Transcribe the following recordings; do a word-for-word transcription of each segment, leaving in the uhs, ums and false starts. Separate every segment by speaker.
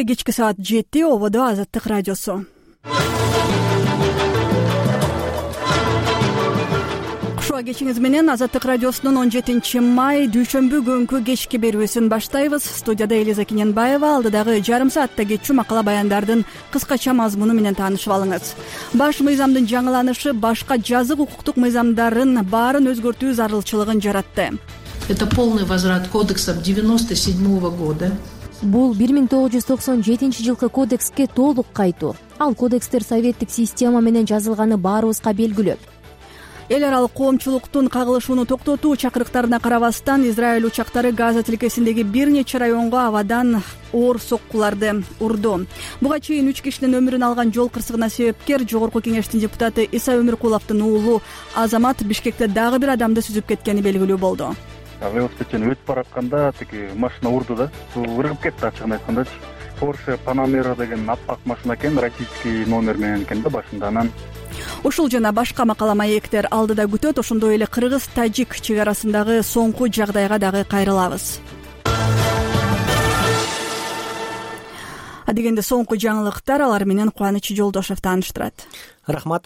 Speaker 1: Кечки саат жети ободо Азаттык радиосу. Кушуа кечиңиз менен Азаттык радиосунун он жетинчи май дүйшөмбү күнкү кечки берүүсүн баштайбыз. Студияда Элиза Кененбаева. Алдыдагы жарым саатта кетчү макала баяндардын кыскача мазмуну менен таанышып алыңыз. Баш мыйзамдын жаңыланышы башка жазык укуктук мыйзамдарын баарын өзгөртүү зарылчылыгын жаратты.
Speaker 2: Это полный возврат кодексов девяносто седьмого года.
Speaker 3: Бул бир миң тогуз жүз токсон жетинчи жылкы кодекске толук кайтуу. Ал кодекстер советтик система менен жазылганы баарыбызга белгилүү.
Speaker 1: Эл аралык коомчулуктун кагылышууну токтотуу чакырыктарына карабастан Израиль учактары Газа тилкесиндеги бир нече районго абадан оор соккуларды урду. Буга чейин үч кишинин өмүрүн алган жол кырсыгына себепкер Жогорку Кеңештин депутаты Иса Өмүркуловдун уулу Азамат Бишкекте дагы бир адамды сүзүп кеткени белгилүү болду.
Speaker 4: Велосипедчен өтүп баратканда тиги машина урду да, ыргып кетти ачыгын айткандачы. Porsche Panamera деген аппак машина экен, российский номер менен экен да башында. Анан
Speaker 1: ушул жана башка макала маектер алдыда күтөт. Ошондой эле кыргыз-тажик чек арасындагы соңку жагдайга дагы кайрылабыз. Адегенде соңку жаңылыктар, алар менен Кубаныч Жолдошов тааныштырат.
Speaker 5: Рахмат.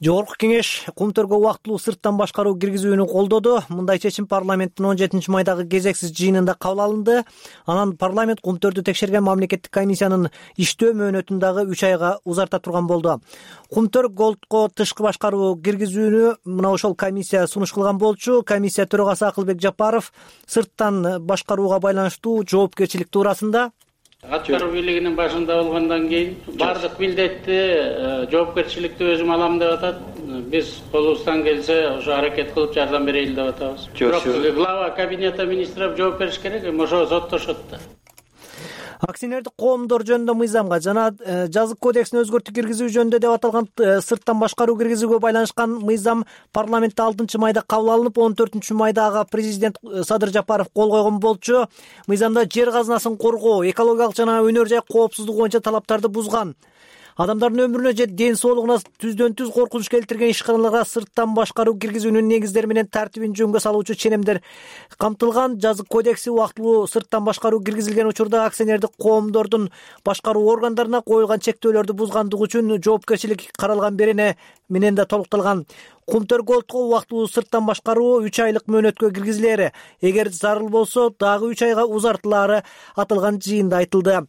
Speaker 5: Жогорку Кеңеш Кумтөргө убактылуу сырттан башкаруу киргизүүнү колдоду. Мындай чечим парламенттин он жетинчи майдагы кезексиз жыйынында кабыл алынды. Анан парламент Кумтөрдү текшерген мамлекеттик комиссиянын иштөө мөөнөтүн дагы үч айга узарта турган болду. Кумтөр Голдко тышкы башкаруу киргизүүнү мына ошол комиссия сунуш кылган болчу. Комиссия төрагасы Акылбек Жапаров сырттан башкарууга байланыштуу жоопкерчилик туурасында
Speaker 6: Аткаруу бийлигинин башында болгондон кийин бардык милдетти, жоопкерчиликти өзүм алам деп атат. Биз колубуздан келсе ошо аракет кылып жардам берели деп атабыз. Бирок глава кабинета министров жооп бериш керек, ошо соттошот да.
Speaker 5: Акционердик коомдор жөнүндө мыйзамга жана жазык кодексине өзгөртүү киргизүү жөнүндө деп аталган сырттан башкаруу киргизүүгө байланышкан мыйзам парламентте алтынчы майда кабыл алынып, он төртүнчү майда ага президент Садыр Жапаров кол койгон болчу. Мыйзамда жер казынасын коргоо, экологиялык жана өнөр жай коопсуздугу боюнча талаптарды бузган. Адамдардын өмүрүнө же ден соолугуна түздөн түз коркунуч келтирген ишканаларга сырттан башкаруу киргизүүнүн негиздери менен тартибин жөнгө салуучу ченемдер камтылган. Жазык кодекси убактылуу сырттан башкаруу киргизилген учурда акционердик коомдордун башкаруу органдарына коюлган чектөөлөрдү бузгандыгы үчүн жоопкерчилик каралган берене менен да толукталган. Кумтөр Голдко убактылуу сырттан башкаруу үч айлык мөөнөткө киргизилери, эгер зарыл болсо дагы үч айга узартылаары аталган жыйында айтылды.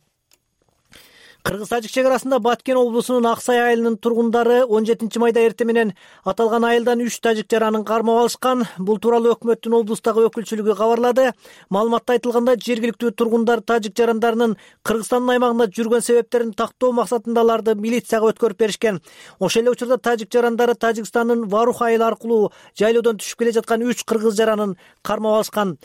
Speaker 5: Кыргыз-тажик чек арасында Баткен облусунун Аксай айылынын тургундары он жетинчи майда эртең менен аталган айылдан үч тажик жаранын кармап алышкан. Бул тууралуу өкмөттүн облустагы өкүлчүлүгү кабарлады. Маалыматта айтылгандай, жергиликтүү тургундар тажик жарандарынын Кыргызстандын аймагында жүргөн себептерин тактоо максатында аларды милицияга өткөрүп беришкен. Ошол эле учурда тажик жарандары Тажикстандын Варух айылы аркылуу жайлоодон түшүп келе жаткан үч кыргыз жаранын кармап алышкан.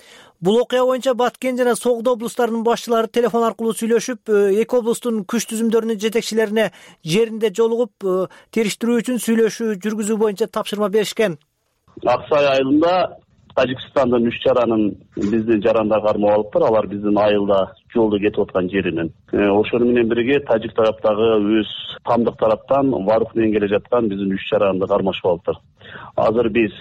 Speaker 5: Бул окуя боюнча Баткен жана Согдо облустарынын башчылары телефон аркылуу сүйлөшүп, эки облустун күч түзүмдөрүнүн жетекчилерине жеринде жолугуп, териштирүү үчүн сүйлөшүү жүргүзүү боюнча тапшырма беришкен.
Speaker 7: Аксай айылында Тажикстандын үч жаранын биздин жарандар кармап алыптыр. Алар биздин айылда жолдо кетип аткан жеринен. Ошону менен бирге тажик тараптагы өз тамдык тараптан Варух менен келе жаткан биздин үч жаранды кармашып алыптыр. Азыр биз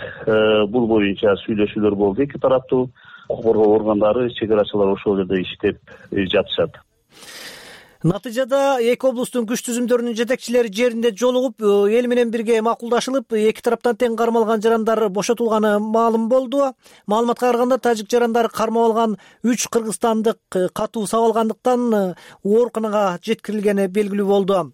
Speaker 7: бул боюнча сүйлөшүүлөр болду эки тараптуу. Укук коргоо органдары, чек арачылар ошол жерде иштеп жатышат.
Speaker 5: Натыйжада эки облустун күч түзүмдөрүнүн жетекчилери жеринде жолугуп, эл менен бирге макулдашылып, эки тараптан тең кармалган жарандар бошотулганы маалым болду. Маалыматка караганда, тажик жарандары кармап алган үч кыргызстандык катуу сабалгандыктан ооруканага жеткирилгени белгилүү болду.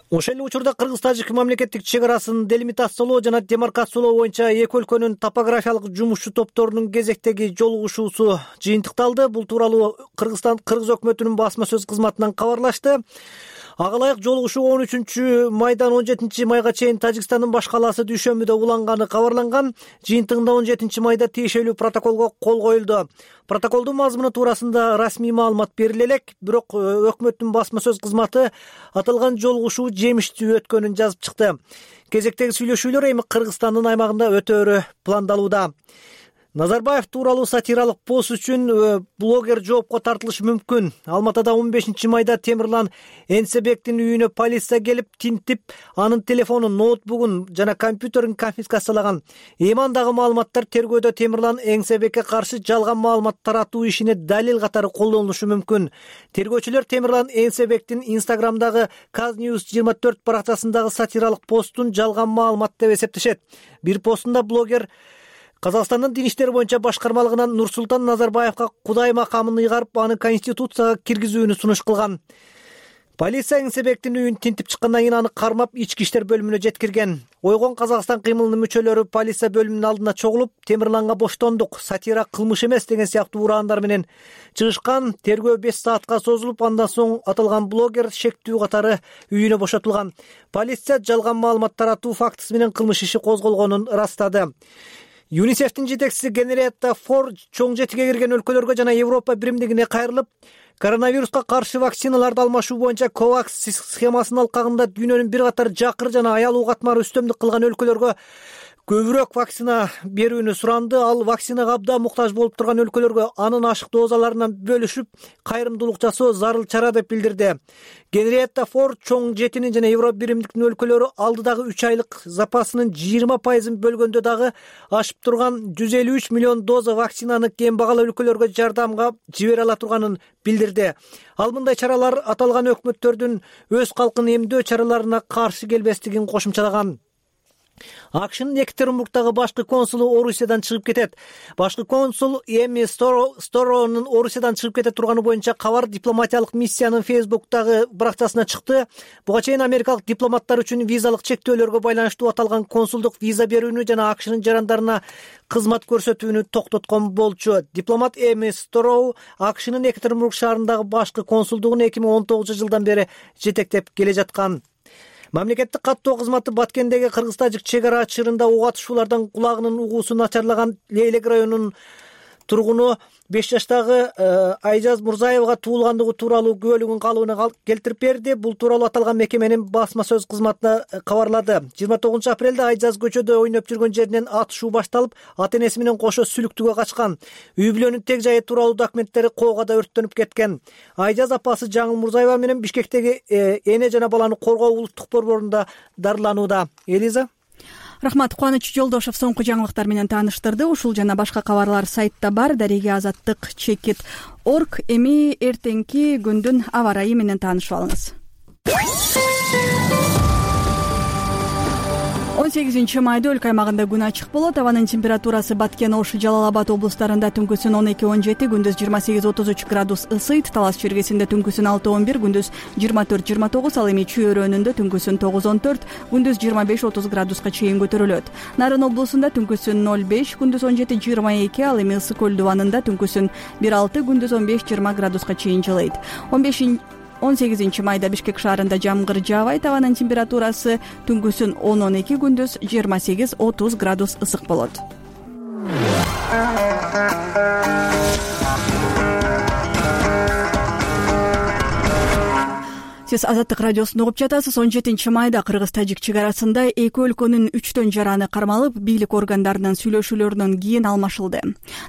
Speaker 5: Ошол эле учурда кыргыз-тажик мамлекеттик чек арасын делимитациялоо жана демаркациялоо боюнча эки өлкөнүн топографиялык жумушчу топторунун кезектеги жолугушуусу жыйынтыкталды. Бул тууралуу Кыргызстан Кыргыз өкмөтүнүн басма сөз кызматынан кабарлашты. Ага ылайык жолугушуу он үчүнчү майдан он жетинчи майга чейин Тажикстандын баш калаасы Дүйшөмбүдө уланганы кабарланган. Жыйынтыгында он жетинчи майда тиешелүү протоколго кол коюлду. Протоколдун мазмуну туурасында расмий маалымат бериле элек, бирок өкмөттүн басма сөз кызматы аталган жолугушуу жемиштүү өткөнүн жазып чыкты. Кезектеги сүйлөшүүлөр эми Кыргызстандын аймагында өтөөрү пландалууда. Назарбаев тууралуу сатиралык пост үчүн блогер жоопко тартылышы мүмкүн. Алматыда он бешинчи майда Темирлан Энсебектин үйүнө полиция келип тинтип, анын телефонун, ноутбугун жана компьютерин конфискациялаган. Эми андагы маалыматтар тергөөдө Темирлан Энсебекке каршы жалган маалымат таратуу ишине далил катары колдонулушу мүмкүн. Тергөөчүлөр Темирлан Энсебектин Инстаграмдагы Казньюз жыйырма төрт баракчасындагы сатиралык постун жалган маалымат деп эсептешет. Бир постунда блогер Казакстандын дин иштери боюнча башкармалыгынан Нурсултан Назарбаевга Кудай макамын ыйгарып, аны Конституцияга киргизүүнү сунуш кылган. Полиция Энсебектин үйүн тинтип чыккандан кийин аны кармап ички иштер бөлүмүнө жеткирген. Ойгон Казакстан кыймылынын мүчөлөрү полиция бөлүмүнүн алдына чогулуп, Темирланга боштондук, сатира кылмыш эмес деген сыяктуу ураандар менен чыгышкан. Тергөө беш саатка созулуп, андан соң аталган блогер шектүү катары үйүнө бошотулган. Полиция жалган маалымат таратуу фактысы менен кылмыш иши козголгонун ырастады. ЮНИСЕФтин жетекчиси Генриетта Фор чоң жетиге кирген өлкөлөргө жана Европа биримдигине кайрылып, коронавируска каршы вакциналарды алмашуу боюнча ковакс схемасынын алкагында дүйнөнүн бир катар жакыр жана аялуу катмары үстөмдүк кылган өлкөлөргө көбүрөөк вакцина берүүнү суранды. Ал вакцинага абдан муктаж болуп турган өлкөлөргө анын ашык дозаларынан бөлүшүп, кайрымдуулук жасоо зарыл чара деп билдирди. Генриетта Фор чоң жетинин жана Европа биримдиктин өлкөлөрү алдыдагы үч айлык запасынын жыйырма пайызын бөлгөндө дагы ашып турган жүз элүү үч миллион доза вакцинаны кем багалуу өлкөлөргө жардамга жибере ала турганын билдирди. Ал мындай чаралар аталган өкмөттөрдүн өз калкын эмдөө чараларына каршы келбестигин кошумчалаган. АКШнын Екатеринбургдагы башкы консулу Орусиядан чыгып кетет. Башкы консул Эми Сторонун Орусиядан чыгып кете турганы боюнча кабар дипломатиялык миссиянын Фейсбуктагы баракчасына чыкты. Буга чейин америкалык дипломаттар үчүн визалык чектөөлөргө байланыштуу аталган консулдук виза берүүнү жана АКШнын жарандарына кызмат көрсөтүүнү токтоткон болчу. Дипломат Эми Стороу АКШнын Екатеринбург шаарындагы башкы консулдугун эки миң он тогузунчу жылдан бери жетектеп келе жаткан. Мамлекеттик каттоо кызматы Баткендеги кыргыз-тажик чек ара чырында ок атышуулардан кулагынын угуусу начарлаган Лейлек районунун тургуну беш жаштагы Айжаз Мурзаевга туулгандыгы тууралуу күбөлүгүн калыбына келтирип берди. Бул тууралуу аталган мекеменин басма сөз кызматына кабарлады. жыйырма тогузунчу апрелде Айжаз көчөдө ойноп жүргөн жеринен атышуу башталып, ата-энеси менен кошо сүлүктүгө качкан. Үй бүлөнүн тег жайы тууралуу документтери коогада өрттөнүп кеткен. Айжаз апасы Жаңыл Мурзаева менен Бишкектеги эне жана баланы коргоо улуттук борборунда дарыланууда. Элиза.
Speaker 1: Рахмат. Кубаныч Жолдошев соңку жаңылыктар менен тааныштырды. Ушул жана башка кабарлар сайтта бар. Дареге азаттык чекит точка орг. Эми эртеңки күндүн аба ырайы менен таанышып алыңыз. он сегизинчи майда өлкө аймагында күн ачык болот. Абанын температурасы Баткен, Ош, Жалал Абад облустарында түнкүсүн он эки он жети, күндүз жыйырма сегиз отуз үч градус ысыйт. Талас чергесинде түнкүсүн алты он бир, күндүз жыйырма төрт жыйырма тогуз, ал эми Чүй-өрөөнүндө түнкүсүн тогуз он төрт, күндүз жыйырма беш отуз градуска чейин көтөрүлөт. Нарын облусунда түнкүсүн ноль беш, күндүз он жети жыйырма эки, ал эми Ысык көл дубанында түнкүсүн бир алты, күндүз он беш жыйырма градуска чейин жылыйт. он сегизинчи майда Бишкек шаарында жамгыр жаабайт. Абанын температурасы түнкүсүн он он эки, күндүз жыйырма сегиз отуз градус ысык болот. Сиз Азаттык радиосун угуп жатасыз. он жетинчи майда кыргыз-тажик чек арасында эки өлкөнүн үчтөн жараны кармалып, бийлик органдарынын сүйлөшүүлөрүнөн кийин алмашылды.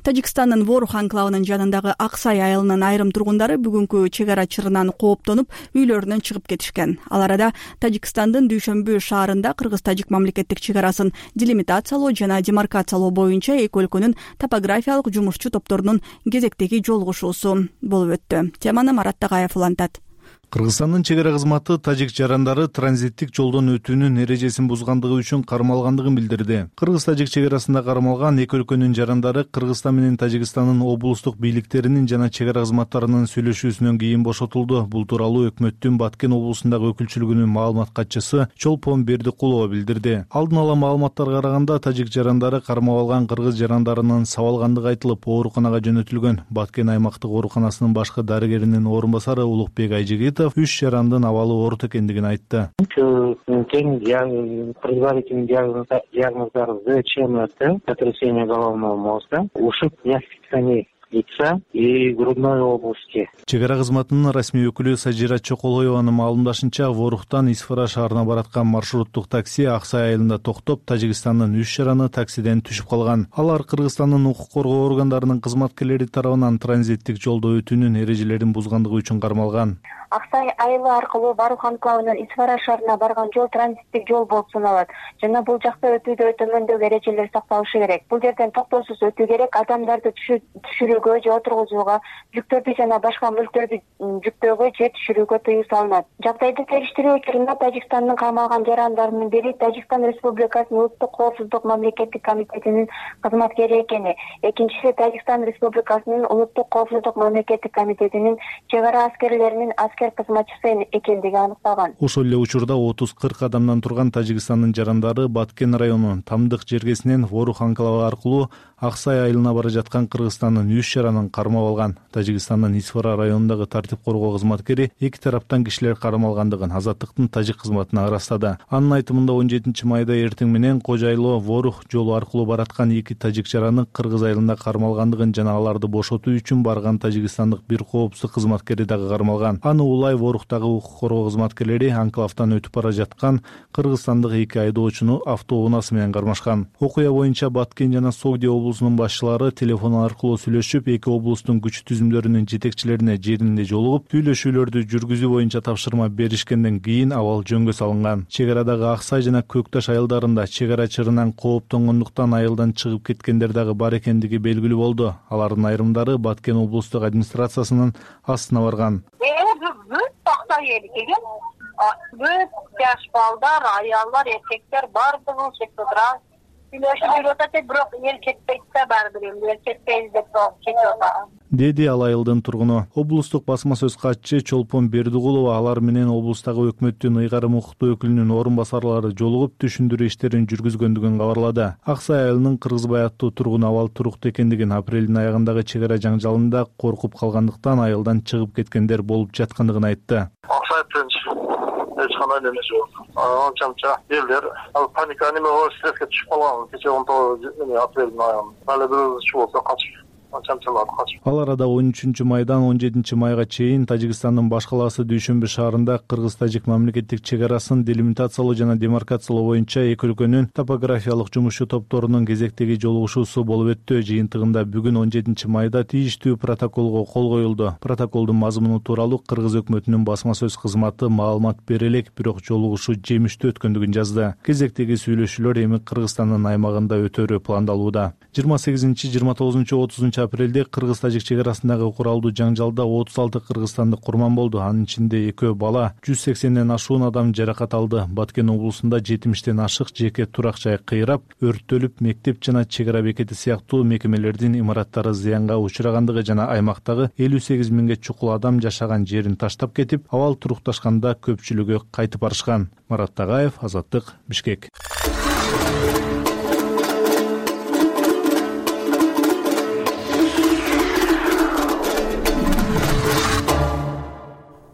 Speaker 1: Тажикстандын Ворух анклавынын жанындагы Аксай айылынын айрым тургундары бүгүнкү чек ара чырынан кооптонуп, үйлөрүнөн чыгып кетишкен. Ал арада Тажикстандын Дүйшөмбү шаарында кыргыз-тажик мамлекеттик чек арасын делимитациялоо жана демаркациялоо боюнча эки өлкөнүн топографиялык жумушчу топторунун кезектеги жолугушуусу болуп өттү. Теманы Марат Тагаев улантат.
Speaker 8: Кыргызстандын чек ара кызматы тажик жарандары транзиттик жолдон өтүүнүн эрежесин бузгандыгы үчүн кармалгандыгын билдирди. Кыргыз-тажик чек арасында кармалган эки өлкөнүн жарандары Кыргызстан менен Тажикстандын облустук бийликтеринин жана чек ара кызматтарынын сүйлөшүүсүнөн кийин бошотулду. Бул тууралуу өкмөттүн Баткен облусундагы өкүлчүлүгүнүн маалымат катчысы Чолпон Бердикулова билдирди. Алдын ала маалыматтарга караганда тажик жарандары кармап алган кыргыз жарандарынын сабалгандыгы айтылып, ооруканага жөнөтүлгөн. Баткен аймактык ооруканасынын башкы дарыгеринин орун басары Улукбек Айжигитов үч жарандын абалы оорук экендигин айтты.
Speaker 9: Предварительный диагноз ЗЧМ, сотрясение головного мозга, ушиб мягких тканей лица и грудной области.
Speaker 8: Чек ара кызматынын расмий өкүлү Сажира Чоколоеванын маалымдашынча, Воруктан Исфара шаарына бараткан маршруттук такси Аксай айылында токтоп, Тажикстандын үч жараны таксиден түшүп калган. Алар Кыргызстандын укук коргоо органдарынын кызматкерлери тарабынан транзиттик жолдо өтүүнүн эрежелерин бузгандыгы үчүн кармалган.
Speaker 10: Аксай айылы аркылуу Барух анклавынан Исфара шаарына барган жол транзиттик жол болуп саналат жана бул жакта өтүүдө төмөндөгү эрежелер сакталышы керек. Бул жерден токтоосуз өтүү керек. Адамдарды түшүрүүгө же отургузууга, жүктөрдү жана башка мүлктөрдү жүктөөгө же түшүрүүгө тыюу салынат. Жагдайды териштирүү учурунда Тажикстандын камалган жарандарынын бири Тажикстан Республикасынын Улуттук коопсуздук мамлекеттик комитетинин кызматкери экени, экинчиси Тажикстан Республикасынын Улуттук коопсуздук мамлекеттик комитетинин чек ара аскерлеринин аскер кызматчысы экендиги аныкталган.
Speaker 8: Ошол эле учурда отуз кырк адамдан турган Тажикстандын жарандары Баткен районунун Тамдык жергесинен Ворух анклавы аркылуу Аксай айылына бара жаткан Кыргызстандын үч жаранын кармап алган. Тажикстандын Исфара районундагы тартип коргоо кызматкери эки тараптан кишилер кармалгандыгын Азаттыктын тажик кызматына ырастады. Анын айтымында он жетинчи майда эртең менен Кожайлоо Ворух жолу аркылуу бараткан эки тажик жараны Кыргыз айылында кармалгандыгын жана аларды бошотуу үчүн барган тажикстандык бир коопсуздук кызматкери дагы кармалган. Аны улай Воруктагы укук коргоо кызматкерлери анклавтан өтүп бара жаткан кыргызстандык эки айдоочуну автоунаасы менен кармашкан. Окуя боюнча Баткен жана Согди облусунун башчылары телефон аркылуу сүйлөшүп, эки облустун күч түзүмдөрүнүн жетекчилерине жеринде жолугуп, сүйлөшүүлөрдү жүргүзүү боюнча тапшырма беришкенден кийин абал жөнгө салынган. Чек арадагы Аксай жана Көкташ айылдарында чек ара чырынан кооптонгондуктан айылдан чыгып кеткендер дагы бар экендиги белгилүү болду. Алардын айрымдары Баткен облустук администрациясынын астына барган.
Speaker 10: Бүт жаш балдар, аялдар, эркектер бардыгы ошол жерде сүйлөшүп жүрүп атат, бирок эл кетпейт да баардыр, эл кетпейбиз деп кетип атат.
Speaker 8: Деди ал айылдын тургуну. Облустук басма сөз катчы Чолпон Бердигулова алар менен облустагы өкмөттүн ыйгарым укуктуу өкүлүнүн орун басарлары жолугуп түшүндүрүү иштерин жүргүзгөндүгүн кабарлады. Аксай айылынын Кыргызбай аттуу тургуну абал туруктуу экендигин, апрелдин аягындагы чек ара жаңжалында коркуп калгандыктан айылдан чыгып кеткендер болуп жаткандыгын айтты.
Speaker 11: Аксай тынч, эч кандай неме жок. Анча-мынча элдер паника неме болуп стресске түшүп калган. Кече он тогуз апрелдин аягында. Ал бир чуу болсо качып. Ал арада он үчүнчү майдан он жетинчи майга чейин Тажикстандын баш калаасы Дүйшөмбү шаарында кыргыз-тажик мамлекеттик чек арасын делимитациялоо жана демаркациялоо боюнча эки өлкөнүн топографиялык жумушчу топторунун кезектеги жолугушуусу болуп өттү. Жыйынтыгында бүгүн он жетинчи майда тийиштүү протоколго кол коюлду. Протоколдун мазмуну тууралуу Кыргыз өкмөтүнүн басма сөз кызматы маалымат бере элек, бирок жолугушуу жемиштүү өткөндүгүн жазды. Кезектеги сүйлөшүүлөр эми Кыргызстандын аймагында өтөрү пландалууда. жыйырма сегизинчи, жыйырма тогузунчу, отузунчу апрелде кыргыз-тажик чек арасындагы куралдуу жаңжалда отуз алты кыргызстандык курман болду. Анын ичинде экөө бала, жүз сексенден ашуун адам жаракат алды. Баткен облусунда жетимиштен ашык жеке турак жай кыйрап, өрттөлүп, мектеп жана чек ара бекети сыяктуу мекемелердин имараттары зыянга учурагандыгы жана аймактагы элүү сегиз миңге чукул адам жашаган жерин таштап кетип, абал турукташканда көпчүлүгү кайтып барышкан. Марат Тагаев, Азаттык, Бишкек.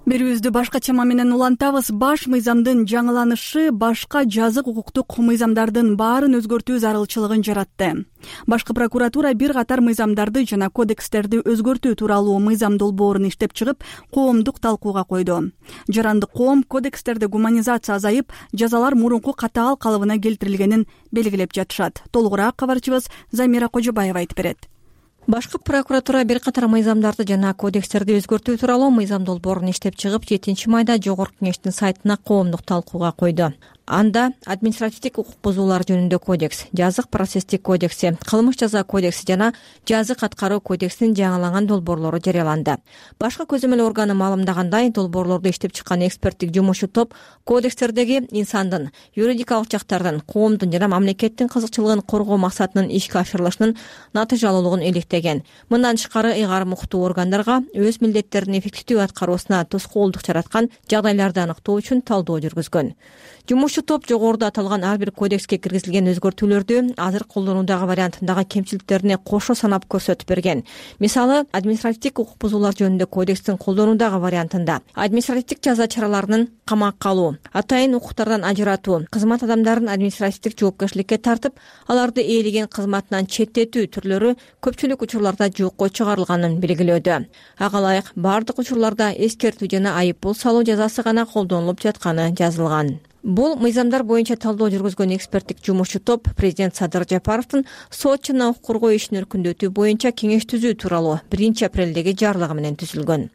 Speaker 1: Берүүбүздү башка чама менен улантабыз. Баш мыйзамдын жаңыланышы башка жазык укуктук мыйзамдардын баарын өзгөртүү зарылчылыгын жаратты. Башкы прокуратура бир катар мыйзамдарды жана кодекстерди өзгөртүү тууралуу мыйзам долбоорун иштеп чыгып, коомдук талкууга койду. Жарандык коом кодекстерде гуманизация азайып, жазалар мурунку катаал калыбына келтирилгенин белгилеп жатышат. Толугураак кабарчыбыз Замира Кожобаева айтып берет.
Speaker 12: Башкы прокуратура бир катар мыйзамдарды жана кодекстерди өзгөртүү тууралуу мыйзам долбоорун иштеп чыгып, жетинчи майда Жогорку Кеңештин сайтына коомдук талкууга койду. Анда административдик укук бузуулар жөнүндө кодекс, жазык процесстик кодекси, кылмыш жаза кодекси жана жазык аткаруу кодексинин жаңыланган долбоорлору жарыяланды. Башкы көзөмөл органы маалымдагандай, долбоорлорду иштеп чыккан эксперттик жумушчу топ кодекстердеги инсандын, юридикалык жактардын, коомдун жана мамлекеттин кызыкчылыгын коргоо максатынын ишке ашырылышынын натыйжалуулугун иликтеген. Мындан тышкары ыйгарым укуктуу органдарга өз милдеттерин эффективдүү аткаруусуна тоскоолдук жараткан жагдайларды аныктоо үчүн талдоо жүргүзгөн. Жумуш жумушчу топ жогоруда аталган ар бир кодекске киргизилген өзгөртүүлөрдү азыр колдонуудагы вариантындагы кемчиликтерине кошо санап көрсөтүп берген. Мисалы, административдик укук бузуулар жөнүндө кодекстин колдонуудагы вариантында административдик жаза чараларынын камакка алуу, атайын укуктардан ажыратуу, кызмат адамдарын административдик жоопкерчиликке тартып, аларды ээлеген кызматынан четтетүү түрлөрү көпчүлүк учурларда жокко чыгарылганын белгилөөдө. Ага ылайык бардык учурларда эскертүү жана айып пул салуу жазасы гана колдонулуп жатканы жазылган. Бул мыйзамдар боюнча талдоо жүргүзгөн эксперттик жумушчу топ президент Садыр Жапаровдун сот жана укук коргоо ишин өркүндөтүү боюнча кеңеш түзүү тууралуу биринчи апрелдеги жарлыгы менен түзүлгөн.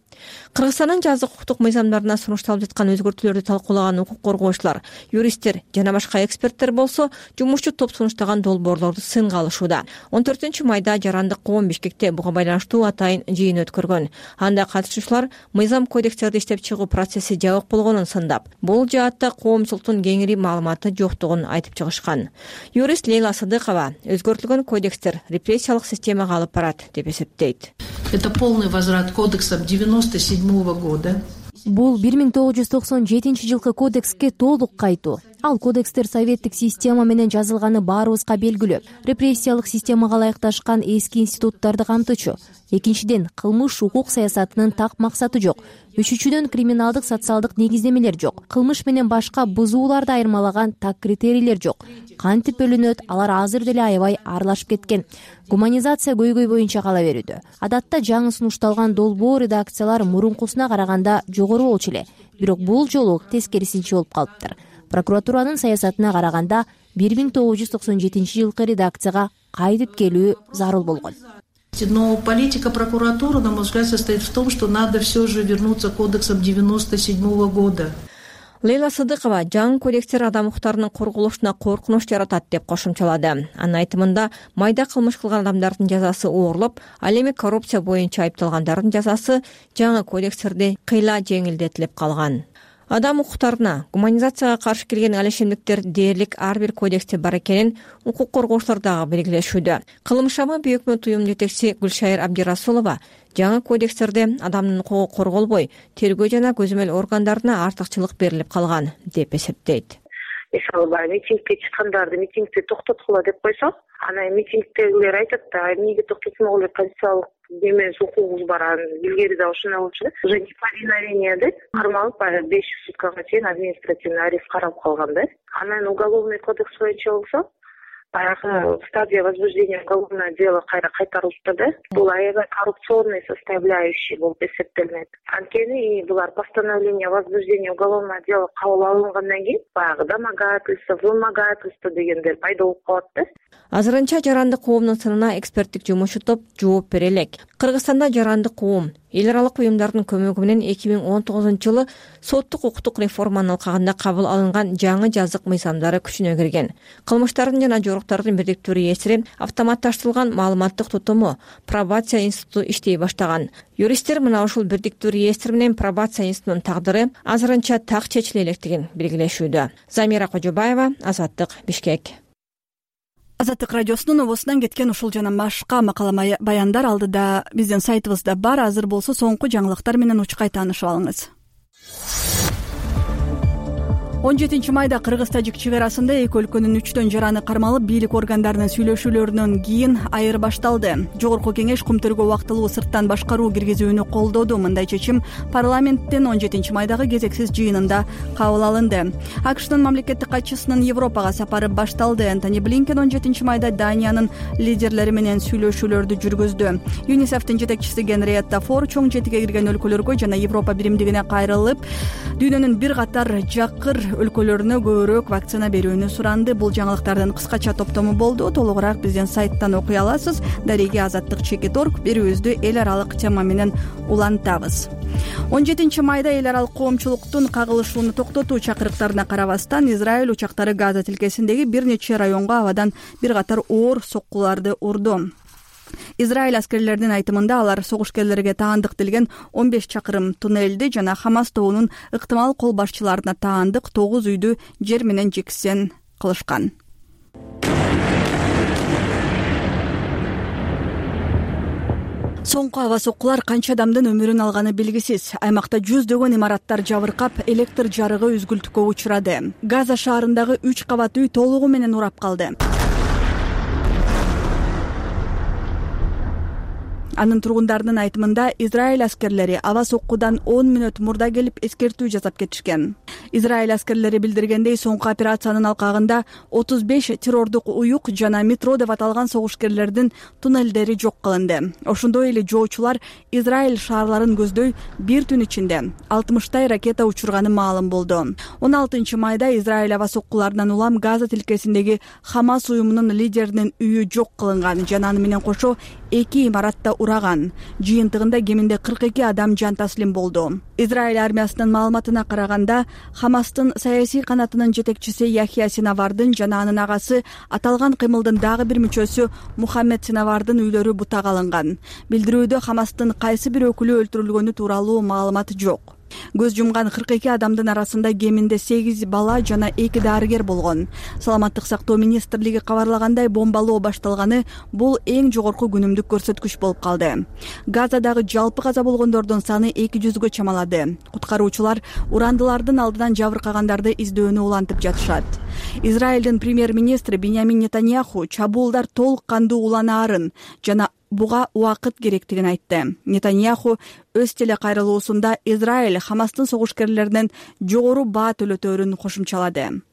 Speaker 12: Кыргызстандын жазык укуктук мыйзамдарына сунушталып жаткан өзгөртүүлөрдү талкуулаган укук коргоочулар, юристтер жана башка эксперттер болсо жумушчу топ сунуштаган долбоорлорду сынга алышууда. он төртүнчү майда жарандык коом Бишкекте буга байланыштуу атайын жыйын өткөргөн. Анда катышуучулар мыйзам кодекстерди иштеп чыгуу процесси жабык болгонун сындап, бул жаатта коомчулуктун кеңири маалыматы жоктугун айтып чыгышкан. Юрист Лейла Садыкова өзгөртүлгөн кодекстер репрессиялык системага алып барат деп эсептейт.
Speaker 2: Это полный возврат кодексам девяносто седьмого года.
Speaker 3: Бул бир миң тогуз жүз токсон жетинчи жылкы кодекске толук кайтуу. Ал кодекстер советтик система менен жазылганы баарыбызга белгилүү. Репрессиялык системага ылайыкташкан эски институттарды камтычу. Экинчиден, кылмыш укук саясатынын так максаты жок. Үчүнчүдөн, криминалдык социалдык негиздемелер жок. Кылмыш менен башка бузууларды айырмалаган так критерийлер жок. Кантип бөлүнөт, алар азыр деле аябай аралашып кеткен. Гуманизация көйгөй боюнча кала берүүдө. Адатта жаңы сунушталган долбоо редакциялар мурункусуна караганда жогору болчу эле. Бирок бул жолу тескерисинче болуп калыптыр. Прокуратуранын саясатына караганда бир миң тогуз жүз токсон жетинчи жылкы редакцияга кайтып келүү зарыл болгон.
Speaker 2: Но политика прокуратуры, на мой взгляд, состоит в том, что надо все же вернуться к кодексам девяносто седьмого года.
Speaker 12: Лейла Садыкова жаңы кодекстер адам укуктарынын корголушуна коркунуч жаратат деп кошумчалады. Анын айтымында майда кылмыш кылган адамдардын жазасы оорлоп, ал эми коррупция боюнча айыпталгандардын жазасы жаңы кодекстерде кыйла жеңилдетилип калган. Адам укуктарына гуманизацияга каршы келген алешемдиктер дээрлик ар бир кодексте бар экенин укук коргоочулар дагы белгилешүүдө. Кылмышама Бүйөкмөт уюмунун жетекчиси Гүлшайыр Абдирасулова жаңы кодекстерде адамдын укугу корголбой, тергөө жана көзөмөл органдарына артыкчылык берилип калган деп эсептейт.
Speaker 13: Мисалы, баягы митингге чыккандарды митингди токтоткула деп койсок, анан митингдегилер айтат да, эмнеге токтотмогулу, конституциялык демес укугубуз бар, анын илгери да ушундай болчу да. Уже неповиновение деп кармалып, баягы беш жүз суткага чейин административный арест каралып калган да. Анан уголовный кодекс боюнча болсо, баягы стадия возбуждения уголовного дела кайра кайтарылыпты да. Бул аябай коррупционный составляющий болуп эсептелинет. Анткени булар постановление о возбуждении уголовного дела кабыл алынгандан кийин баягы домогательство, вымогательство дегендер пайда болуп калат да.
Speaker 12: Азырынча жарандык коомдун сынына эксперттик жумушчу топ жооп бере элек. Кыргызстанда жарандык коом эл аралык уюмдардын көмөгү менен эки миң он тогузунчу жылы соттук укуктук реформанын алкагында кабыл алынган жаңы жазык мыйзамдары күчүнө кирген. Кылмыштардын жана жоруктардын бирдиктүү реестри, автоматташтырылган маалыматтык тутуму, пробация институту иштей баштаган. Юристтер мына ушул бирдиктүү реестр менен пробация институтунун тагдыры азырынча так чечиле электигин белгилешүүдө. Замира Кожобаева, Азаттык, Бишкек.
Speaker 1: Азаттык радиосунун обосунан кеткен ушул жана башка макала баяндар алдыда биздин сайтыбызда бар. Азыр болсо соңку жаңылыктар менен учкай таанышып алыңыз. он жетинчи майда Кыргыз-Тажик чек арасында эки өлкөнүн үчтөн жараны кармалып, бийлик органдарынын сүйлөшүүлөрүнөн кийин айыр башталды. Жогорку кеңеш кум тергөө убактылуу сырттан башкаруу киргизүүнү колдоду. Мындай чечим парламенттин он жетинчи майдагы кезексиз жыйынында кабыл алынды. АКШнын мамлекеттик катчысынын Европага сапары башталды. Антони Блинкен он жетинчи майда Даниянын лидерлери менен сүйлөшүүлөрдү жүргүздү. ЮНИСЕФтин жетекчиси Генриетта Фор чоң жетиге кирген өлкөлөргө жана Европа биримдигине кайрылып, дүйнөнүн бир катар жакыр өлкөлөрүнө көбүрөөк вакцина берүүнү суранды. Бул жаңылыктардын кыскача топтому болду. Толугураак биздин сайттан окуй аласыз. Дареги Азаттык чекит точка орг берүүбүздү эл аралык тема менен улантабыз. он жетинчи майда эл аралык коомчулуктун кагылышууну токтотуу чакырыктарына карабастан Израиль учактары Газа тилкесиндеги бир нече районго абадан бир катар оор соккуларды урду. Израиль аскерлеринин айтымында алар согушкерлерге таандык делген он беш чакырым туннелди жана Хамас тобунун ыктымал кол башчыларына таандык тогуз үйдү жер менен жексен кылышкан. Соңку аба соккулар канча адамдын өмүрүн алганы белгисиз. Аймакта жүздөгөн имараттар жабыркап, электр жарыгы үзгүлтүккө учурады. Газа шаарындагы үч кабат үй толугу менен урап калды. Анын тургундарынын айтымында Израиль аскерлери аба соккудан он мүнөт мурда келип эскертүү жасап кетишкен. Израиль аскерлери билдиргендей, соңку операциянын алкагында отуз беш террордук уюк жана метро деп аталган согушкерлердин туннелдери жок кылынды. Ошондой эле жоочулар Израиль шаарларын көздөй бир түн ичинде алтымыштай ракета учурганы маалым болду. он алтынчы майда Израиль аба соккуларынан улам Газа тилкесиндеги Хамас уюмунун лидеринин үйү жок кылынган жана аны менен кошо эки имаратта ураган. Жыйынтыгында кеминде кырк эки адам жан таслим болду. Израиль армиясынын маалыматына караганда, Хамастын саясий канатынын жетекчиси Яхья Синавардын жана анын агасы аталган кыймылдын дагы бир мүчөсү Мухаммед Синавардын үйлөрү бутак алынган. Билдирүүдө Хамастын кайсы бир өкүлү өлтүрүлгөнү тууралуу маалымат жок. Көз жумган кырк эки адамдын арасында кеминде сегиз бала жана эки дарыгер болгон. Саламаттык сактоо министрлиги кабарлагандай, бомбалоо башталганы бул эң жогорку күнүмдүк көрсөткүч болуп калды. Газадагы жалпы каза болгондордун саны эки жүзгө чамалады. Куткаруучулар урандылардын алдынан жабыркагандарды издөөнү улантып жатышат. Израилдин премьер-министри Биньямин Нетаньяху чабуулдар толук кандуу уланаарын жана буга убакыт керектигин айтты. Нетаньяху өз телекайрылуусунда Израиль Хамастын согушкерлеринен жогору баа төлөтөөрүн кошумчалады.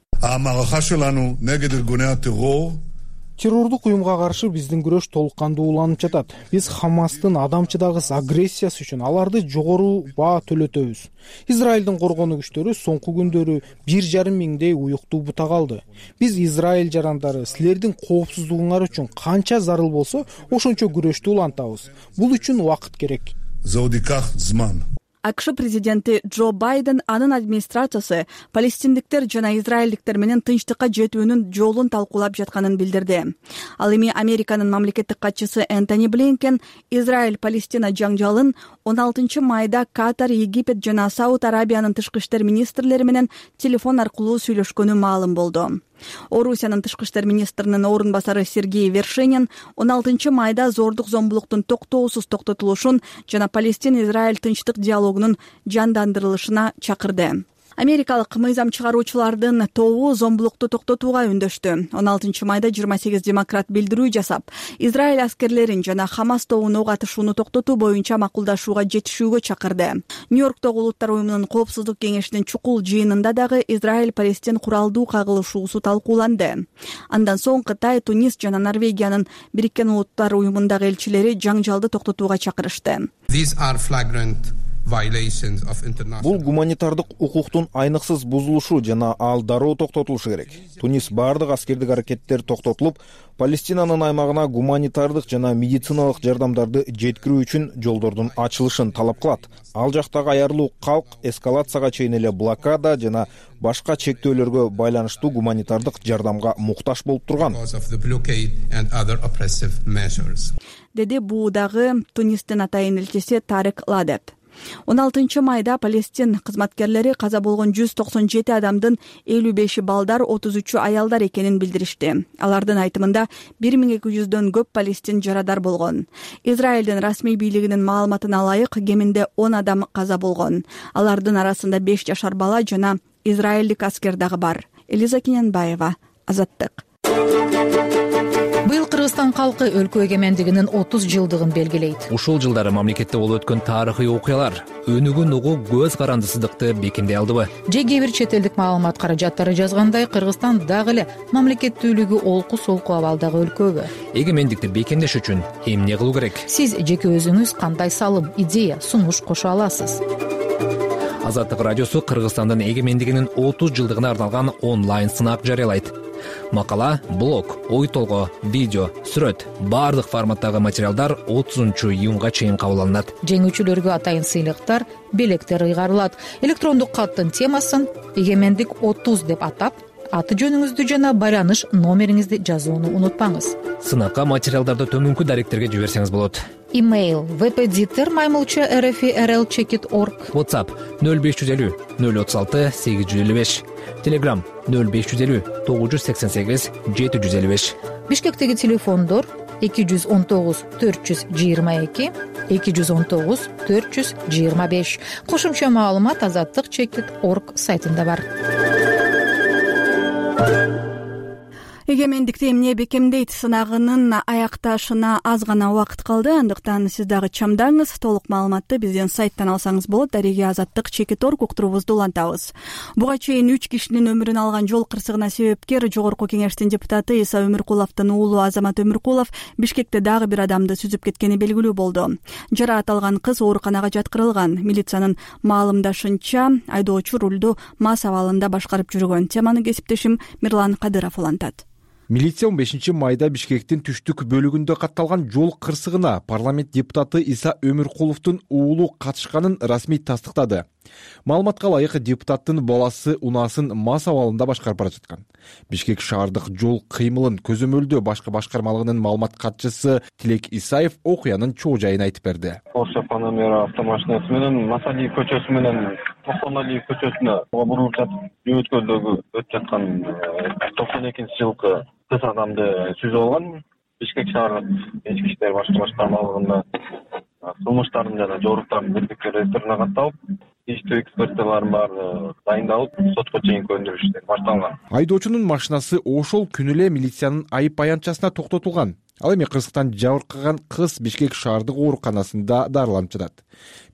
Speaker 14: Террордук уюмга каршы биздин күрөш толук кандуу уланып жатат. Биз Хамастын адамчыдагыс агрессиясы үчүн аларды жогору баа төлөтөбүз. Израилдин коргонуу күчтөрү соңку күндөрү бир жарым миңдей уюкту бутак алды. Биз Израиль жарандары силердин коопсуздугуңар үчүн канча зарыл болсо, ошончо күрөштү улантабыз. Бул үчүн убакыт керек.
Speaker 1: АКШ президенти Джо Байден анын администрациясы палестиндиктер жана израилдиктер менен тынчтыкка жетүүнүн жолун талкуулап жатканын билдирди. Ал эми Американын мамлекеттик катчысы Энтони Блинкен Израиль-Палестина жаңжалын он алтынчы майда Катар, Египет жана Сауд Арабиянын тышкы иштер министрлери менен телефон аркылуу сүйлөшкөнү маалым болду. Орусиянын тышкы иштер министринин орун басары Сергей Вершинин он алтынчы майда зордук зомбулуктун токтоосуз токтотулушун жана Палестин-Израиль тынчтык диалогунун жандандырылышына чакырды. Америкалык мыйзам чыгаруучулардын тобу зомбулукту токтотууга үндөштү. он алтынчы майда жыйырма сегиз демократ билдирүү жасап, Израиль аскерлерин жана Хамас тобуна ок атышууну токтотуу боюнча макулдашууга жетишүүгө чакырды. Нью-Йорктогу Улуттар уюмунун коопсуздук кеңешинин чукул жыйынында дагы Израиль-Палестин куралдуу кагылышуусу талкууланды. Андан соң Кытай, Тунис жана Норвегиянын Бириккен Улуттар уюмундагы элчилери жаңжалды токтотууга чакырышты.
Speaker 15: Бул гуманитардык укуктун айныксыз бузулушу жана ал дароо токтотулушу керек. Тунис баардык аскердик аракеттер токтотулуп, Палестинанын аймагына гуманитардык жана медициналык жардамдарды жеткирүү үчүн жолдордун ачылышын талап кылат. Ал жактагы аярлуу калк эскалацияга чейин эле блокада жана башка чектөөлөргө байланыштуу гуманитардык жардамга муктаж болуп турган,
Speaker 1: деди буудагы Тунистин атайын элчиси Тарек Ладеп. он алтынчы майда Палестин кызматкерлери каза болгон жүз токсон жети адамдын элүү беши балдар, отуз үчү аялдар экенин билдиришти. Алардын айтымында бир миң эки жүздөн көп палестин жарадар болгон. Израилдин расмий бийлигинин маалыматына ылайык, кеминде он адам каза болгон. Алардын арасында беш жашар бала жана израилдик аскер дагы бар. Элиза Кененбаева, Азаттык.
Speaker 16: Быйыл Кыргызстан калкы өлкө эгемендигинин отуз жылдыгын белгилейт.
Speaker 17: Ушул жылдары мамлекетте болуп өткөн тарыхый окуялар өнүгүн угуу көз карандысыздыкты бекемдей алдыбы?
Speaker 16: Же кээ бир чет элдик маалымат каражаттары жазгандай, Кыргызстан дагы эле мамлекеттүүлүгү олку-солку абалдагы өлкөбү?
Speaker 17: Эгемендикти бекемдеш үчүн эмне кылуу керек?
Speaker 16: Сиз жеке өзүңүз кандай салым, идея, сунуш кошо аласыз?
Speaker 17: Азаттык радиосу Кыргызстандын эгемендигинин отуз жылдыгына арналган онлайн сынак жарыялайт. Макала, блог, ой толгоо, видео, сүрөт, баардык форматтагы материалдар отузунчу июнга чейин кабыл алынат.
Speaker 16: Жеңүүчүлөргө атайын сыйлыктар, белектер ыйгарылат. Электрондук каттын темасын эгемендик отуз деп атап, аты жөнүңүздү жана байланыш номериңизди жазууну унутпаңыз.
Speaker 17: Сынакка материалдарды төмөнкү даректерге жиберсеңиз болот.
Speaker 16: Имейл впдитер маймылча rfrl чекит org.
Speaker 17: WhatsApp нөл беш жүз элүү нөл отуз алты сегиз жүз элүү беш. Telegram нөл беш жүз элүү тогуз жүз сексен сегиз жети жүз элүү беш.
Speaker 16: Бишкектеги телефондор эки жүз он тогуз төрт жүз жыйырма эки, эки жүз он тогуз төрт жүз жыйырма беш. Кошумча маалымат азаттык чекит орг сайтында бар.
Speaker 1: Эгемендикти эмне бекемдейт сынагынын аякташына аз гана убакыт калды. Андыктан сиз дагы чамдаңыз. Толук маалыматты биздин сайттан алсаңыз болот. Дареги азаттык чекит орг уктуруубузду улантабыз. Буга чейин үч кишинин өмүрүн алган жол кырсыгына себепкер Жогорку Кеңештин депутаты Иса Өмүркуловдун уулу Азамат Өмүркулов Бишкекте дагы бир адамды сүзүп кеткени белгилүү болду. Жараат алган кыз ооруканага жаткырылган. Милициянын маалымдашынча, айдоочу рулду мас абалында башкарып жүргөн. Теманы кесиптешим Мирлан Кадыров улантат.
Speaker 15: Милиция он бешинчи майда Бишкектин түштүк бөлүгүндө катталган жол кырсыгына парламент депутаты Иса Өмүркуловдун уулу катышканын расмий тастыктады. Маалыматка ылайык, депутаттын баласы унаасын мас абалында башкарып бара жаткан. Бишкек шаардык жол кыймылын көзөмөлдөө башкы башкармалыгынын маалымат катчысы Тилек Исаев окуянын чоо жайын айтып берди.
Speaker 18: Porsche Panamera автомашинасы менен Масалиев көчөсү менен Токсоналиев көчөсүнө бурулуп жатып, өткөлдөгү өтүп жаткан токсон экинчи жылкы кыз адамды сүзүп алган. Бишкек шаардык ички иштер башкы башкармалыгында кылмыштардын жана жоруктардын бирдикке реесторуна катталып, иштөө экспертияларын баары дайындалып, сотко чейинки өндүрүш иштери башталган.
Speaker 15: Айдоочунун машинасы ошол күнү эле милициянын айып баянчасына токтотулган. Ал эми кырсыктан жабыркаган кыз Бишкек шаардык ооруканасында дарыланып жатат.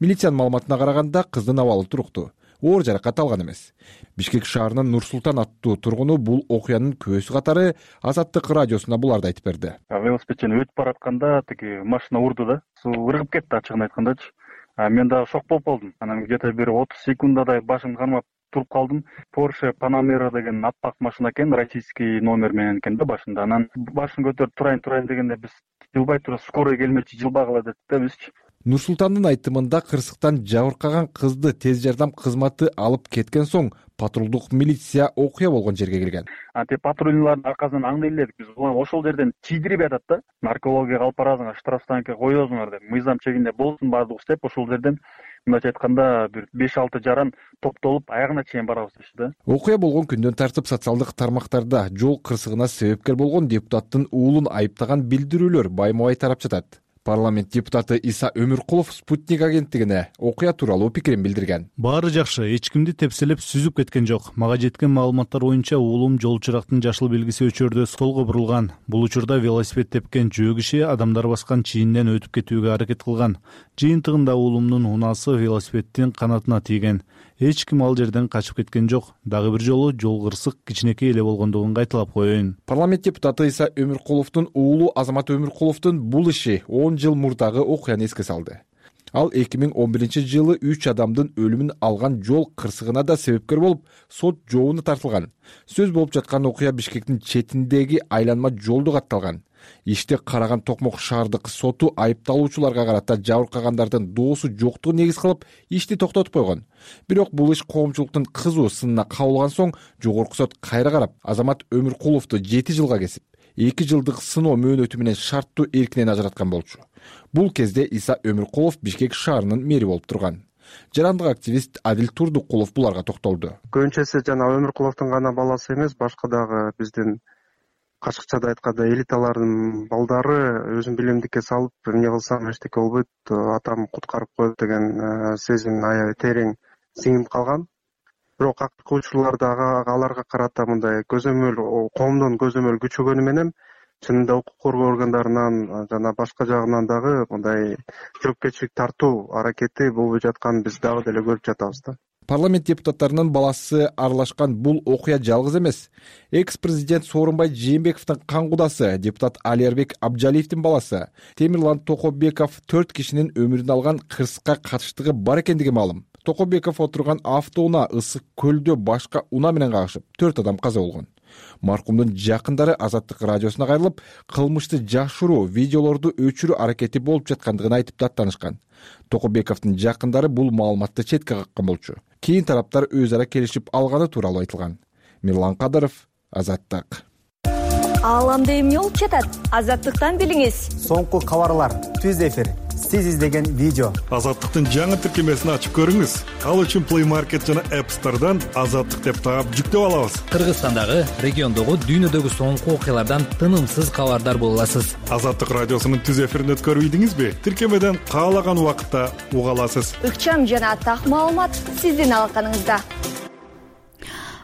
Speaker 15: Милициянын маалыматына караганда, кыздын абалы туруктуу, оор жаракат алган эмес. Бишкек шаарынын Нур Султан аттуу тургуну бул окуянын көөсү катары Азаттык радиосуна буларды айтып берди.
Speaker 4: Велосипедчен өтүп баратканда тиги машина урду да, ыргып кетти, ачыгын айткандачы. Мен дагы шок болуп калдым. Анан где-то бир отуз секундадай башымды кармап туруп калдым. Porsche Panamera деген аппак машина экен, российский номер менен экен да башында. Анан башын көтөрүп турайын турайын дегенде биз жылбай туруп скорый келмечи, жылбагыла дедик да бизчи.
Speaker 15: Нур Султандын айтымында кырсыктан жабыркаган кызды тез жардам кызматы алып кеткен соң патрулдук милиция окуя болгон жерге келген.
Speaker 4: Анте патрульдардын аркасынан аңдай элек биз. Ошол жерден чийдирип атат да. Наркология алып барасыңар, штрафстанкка коесуңар деп. Мыйзам чегинде болсун баардыгы деп ошол жерден мындайча айтканда бир беш алты жаран топтолуп аягына чейин барабыз дешти да.
Speaker 15: Окуя болгон күндөн тартып социалдык тармактарда жол кырсыгына себепкер болгон депутаттын уулун айыптаган билдирүүлөр байма-бай тарап жатат. Парламент депутаты Иса Өмүркулов Спутник агенттигине окуя тууралуу пикирин билдирген.
Speaker 8: Баары жакшы, эч кимди тепселеп сүзүп кеткен жок. Мага жеткен маалыматтар боюнча уулум жол чырактын жашыл белгиси өчөрдө солго бурулган. Бул учурда велосипед тепкен жөө киши адамдар баскан чийинден өтүп кетүүгө аракет кылган. Жыйынтыгында уулумдун унаасы велосипеддин канатына тийген. Эч ким ал жерден качып кеткен жок. Дагы бир жолу жол кырсык кичинекей эле болгондугун кайталап коеюн.
Speaker 15: Парламент депутаты Иса Өмүркуловдун уулу Азамат Өмүркуловдун бул иши он жыл мурдагы окуяны эске салды. Ал эки миң он биринчи жылы үч адамдын өлүмүн алган жол кырсыгына да себепкер болуп, сот жообуна тартылган. Сөз болуп жаткан окуя Бишкектин четиндеги айланма жолдо катталган. Иште караган Токмок шаардык соту айыпталуучуларга карата жабыркагандардын доосу жоктугун негиз кылып ишти токтотуп койгон. Бирок бул иш коомчулуктун кызуу сынына кабылган соң жогорку сот кайра карап, Азамат Өмүркуловду жети жылга кесип, эки жылдык сыноо мөөнөтү менен шарттуу эркинен ажыраткан болчу. Бул кезде Иса Өмүркулов Бишкек шаарынын мэри болуп турган. Жарандык активист Адил Турдукулов буларга токтолду.
Speaker 19: Көбүнчөсү жана Өмүркуловдун гана баласы эмес, башка дагы биздин качыкчада айтканда элиталардын балдары өзүн билимдикке салып, эмне кылсам эчтеке болбойт, атам куткарып коет деген сезим аябай терең сиңип калган. Бирок акыркы учурларда аларга карата мындай көзөмөл, коомдун көзөмөл күчөгөнү менен чынында укук коргоо органдарынан жана башка жагынан дагы мындай жоопкерчилик тартуу аракети болбой жатканын биз дагы деле көрүп жатабыз да.
Speaker 15: Парламент депутаттарынын баласы аралашкан бул окуя жалгыз эмес. Экс-президент Сооронбай Жээнбековдун кан кудасы, депутат Алиербек Абджалиевдин баласы Темирлан Токобеков төрт кишинин өмүрүн алган кырсыкка катыштыгы бар экендиги маалым. Токобеков отурган автоунаа ысык көлдө башка унаа менен кагышып, төрт адам каза болгон. Маркумдун жакындары Азаттык радиосуна кайрылып, кылмышты жашыруу, видеолорду өчүрүү аракети болуп жаткандыгын айтып даттанышкан. Токобековдун жакындары бул маалыматты четке каккан болчу. Кийин тараптар өз ара келишип алганы тууралуу айтылган. Мирлан Кадыров, Азаттык.
Speaker 20: Ааламда эмне болуп жатат? Азаттыктан билиңиз.
Speaker 5: Соңку кабарлар, түз эфир
Speaker 20: сиз издеген видео.
Speaker 21: Азаттыктын жаңы тиркемесин ачып көрүңүз. Ал үчүн Play Market жана App Store'дан Азаттык деп таап жүктөп алабыз.
Speaker 17: Кыргызстандагы, региондогу, дүйнөдөгү соңку окуялардан тынымсыз кабардар боло аласыз.
Speaker 21: Азаттык радиосунун түз эфирин өткөрүп ийдиңизби? Тиркемеден каалаган убакытта уга аласыз.
Speaker 22: Ыкчам жана так маалымат сиздин алаканыңызда.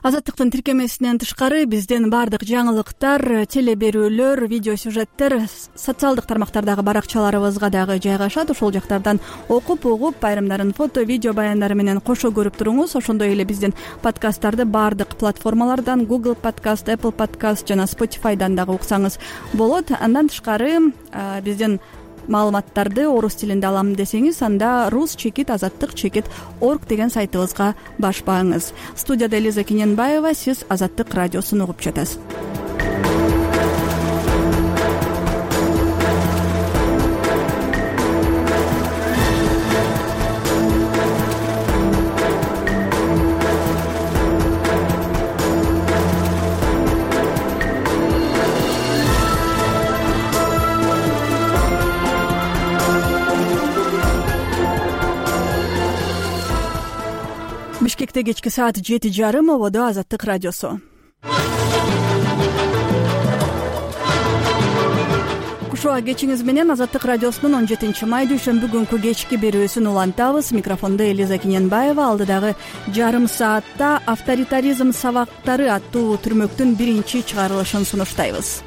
Speaker 1: Азаттыктын тиркемесинен тышкары биздин баардык жаңылыктар, теле берүүлөр, видео сюжеттер социалдык тармактардагы баракчаларыбызга дагы жайгашат. Ошол жактардан окуп, угуп, айрымдарын фото, видео баяндары менен кошо көрүп туруңуз. Ошондой эле биздин подкасттарды баардык платформалардан, Google Podcast, Apple Podcast жана Spotify'дан дагы уксаңыз болот. Андан тышкары биздин маалыматтарды орус тилинде алам десеңиз, анда рус чекит азаттык чекит орг деген сайтыбызга башпаңыз. Студияда Элиза Кененбаева, сиз Азаттык радиосун угуп жатасыз. Бишкекте кечки саат жети жарым, ободо Азаттык радиосу. Кушуа кечиңиз менен Азаттык радиосунун он жетинчи май дүйшөмбү күнкү кечки берүүсүн улантабыз. Микрофондо Элиза Кененбаева. Алдыдагы жарым саатта авторитаризм сабактары аттуу түрмөктүн биринчи чыгарылышын сунуштайбыз.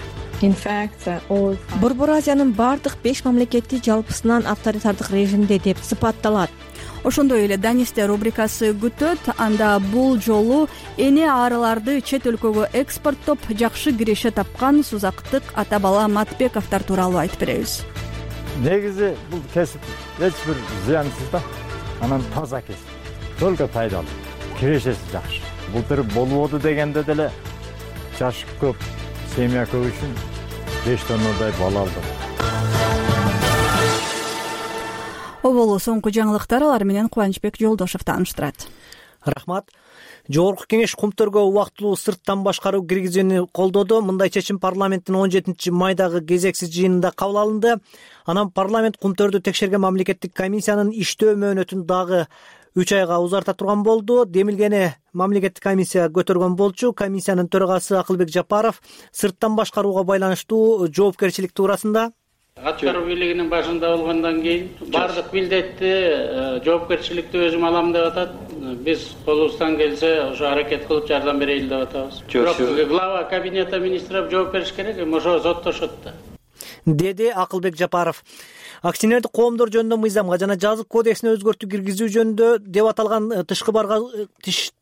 Speaker 12: Борбор Азиянын бардык беш мамлекети жалпысынан авторитардык режимде деп сыпатталат.
Speaker 1: Ошондой эле Данисте рубрикасы күтөт. Анда бул жолу эне арыларды чет өлкөгө экспорттоп жакшы киреше тапкан сузактык ата бала Матбековдор тууралуу айтып беребиз.
Speaker 23: Негизи бул кесип эч бир зыянсыз да, анан таза кесип, только пайдалуу, кирешеси жакшы. Былтыр болбоду дегенде деле жашы көп, семья көп үчүн беш тоннадай бала алдым.
Speaker 1: Оболу соңку жаңылыктар, алар менен Кубанычбек Жолдошев тааныштырат.
Speaker 5: Рахмат. Жогорку кеңеш кумтөргө убактылуу сырттан башкаруу киргизүүнү колдоду. Мындай чечим парламенттин он жетинчи майдагы кезексиз жыйынында кабыл алынды. Анан парламент кумтөрдү текшерген мамлекеттик комиссиянын иштөө мөөнөтүн дагы үч айга узарта турган болду. Демилгени мамлекеттик комиссия көтөргөн болчу. Комиссиянын төрагасы Акылбек Жапаров сырттан башкарууга байланыштуу жоопкерчилик туурасында
Speaker 6: аткаруу бийлигинин башында болгондон кийин баардык милдетти, жоопкерчиликти өзүм алам деп атат. Биз колубуздан келсе ошо аракет кылып жардам берели деп атабыз. Бирок глава кабинета министров жооп бериш керек, эми ошо соттошот да,
Speaker 5: деди Акылбек Жапаров. Акционердик коомдор жөнүндө мыйзамга жана жазык кодексине өзгөртүү киргизүү жөнүндө деп аталган тышкы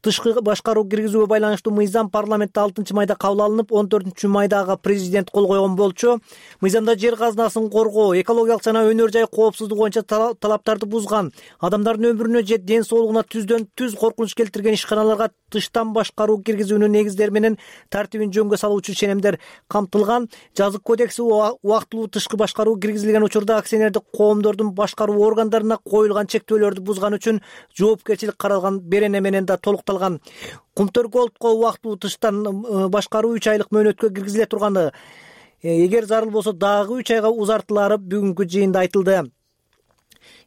Speaker 5: тышкы башкаруу киргизүүгө байланыштуу мыйзам парламентте алтынчы майда кабыл алынып, он төртүнчү майдагы президент кол койгон болчу. Мыйзамда жер казынасын коргоо, экологиялык жана өнөр жай коопсуздугу боюнча талаптарды бузган, адамдардын өмүрүнө же ден соолугуна түздөн түз коркунуч келтирген ишканаларга тыштан башкаруу киргизүүнүн негиздери менен тартибин жөнгө салуучу ченемдер камтылган. Жазык кодекси убактылуу тышкы башкаруу киргизилген учурда акционер коомдордун башкаруу органдарына коюлган чектөөлөрдү бузган үчүн жоопкерчилик каралган берене менен да толукталган. Кумтөр колдко убактылуу тыштан башкаруу үч айлык мөөнөткө киргизиле турганы, эгер зарыл болсо дагы үч айга узартылары бүгүнкү жыйында айтылды.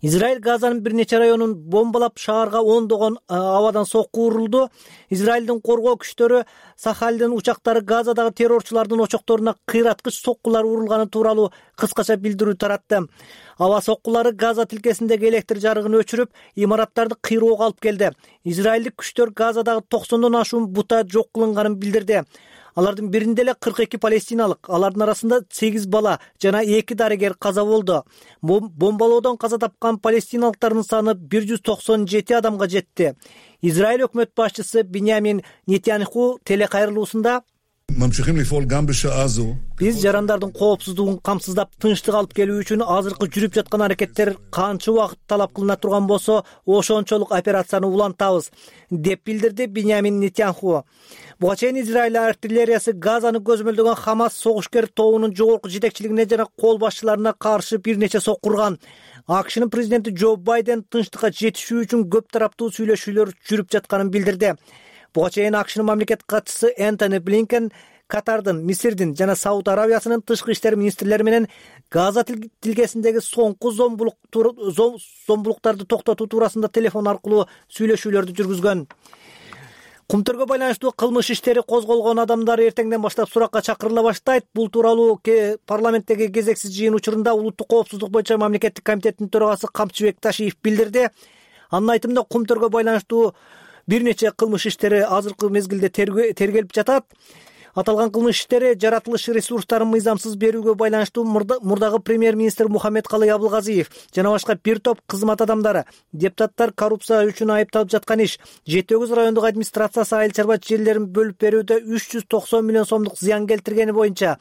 Speaker 5: Израиль Газанын бир нече районун бомбалап, шаарга ондогон абадан сокку урулду. Израилдин коргоо күчтөрү Сахалдын учактары Газадагы террорчулардын очокторуна кыйраткыч соккулар урулганы тууралуу кыскача билдирүү таратты. Аба соккулары Газа тилкесиндеги электр жарыгын өчүрүп, имараттарды кыйроого алып келди. Израилдик күчтөр Газадагы токсондон ашуун бута жок кылынганын билдирди. Алардын биринде эле кырк эки палестиналык, алардын арасында сегиз бала жана эки дарыгер каза болду. Бомбалоодон каза тапкан палестиналыктардын саны бир жүз токсон жети адамга жетти. Израиль өкмөт башчысы Биньямин Нетаньяху телекайрылуусунда биз жарандардын коопсуздугун камсыздап, тынчтык алып келүү үчүн азыркы жүрүп жаткан аракеттер канча убакыт талап кылына турган болсо, ошончолук операцияны улантабыз, деп билдирди Биньямин Нетаньяху. Буга чейин Израиль артиллериясы Газаны көзмөлдөгөн Хамас согушкер тобунун жогорку жетекчилигине жана кол башчыларына каршы бир нече соккурган. АКШнын президенти Джо Байден тынчтыкка жетишүү үчүн көп тараптуу сүйлөшүүлөр жүрүп жатканын билдирди. Буга чейин АКШнын мамлекет катчысы Энтони Блинкен Катардын, Мисирдин жана Сауд Арабиясынын тышкы иштер министрлери менен Газа тилкесиндеги соңку зомбулуктарды токтотуу туурасында телефон аркылуу сүйлөшүүлөрдү жүргүзгөн. Кумтөргө байланыштуу кылмыш иштери козголгон адамдар эртеңден баштап суракка чакырыла баштайт. Бул тууралуу парламенттеги кезексиз жыйын учурунда Улуттук коопсуздук боюнча мамлекеттик комитеттин төрагасы Камчыбек Ташиев билдирди. Анын айтымында Кумтөргө байланыштуу бир нече кылмыш иштери азыркы мезгилде тергелип жатат. Аталган кылмыш иштери жаратылыш ресурстарын мыйзамсыз берүүгө байланыштуу мурдагы премьер-министр Мухаммедкалый Абылгазиев жана башка бир топ кызмат адамдары, депутаттар коррупция үчүн айыпталып жаткан иш, жети тогуз райондук администрациясы айыл чарба жерлерин бөлүп берүүдө үч жүз токсон миллион сомдук зыян келтиргени боюнча,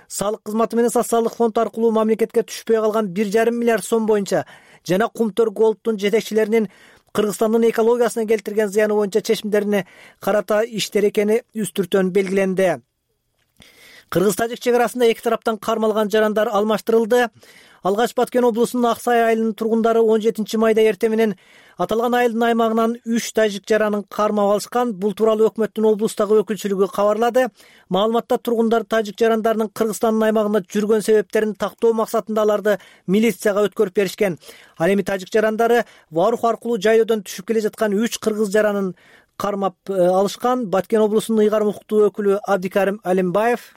Speaker 5: салык кызматы менен социалдык фонд аркылуу мамлекетке түшпөй калган бир жарым миллиард сом боюнча жана Кумтөр Голдтун жетекчилеринин Кыргызстандын экологиясына келтирген зыяны боюнча чечимдерине карата иштер экени үстүртөн белгиленди. Кыргыз-тажик чек арасында эки тараптан кармалган жарандар алмаштырылды. Алгач Баткен облусунун Ак Сай айылынын тургундары он жетинчи майда эртең менен аталган айылдын аймагынан үч тажик жаранын кармап алышкан. Бул тууралуу өкмөттүн облустагы өкүлчүлүгү кабарлады. Маалыматта тургундар тажик жарандарынын Кыргызстандын аймагында жүргөн себептерин тактоо максатында аларды милицияга өткөрүп беришкен. Ал эми тажик жарандары Варух аркылуу жайлоодон түшүп келе жаткан үч кыргыз жаранын кармап алышкан. Баткен облусунун ыйгарым укуктуу өкүлү Абдикарим Алимбаев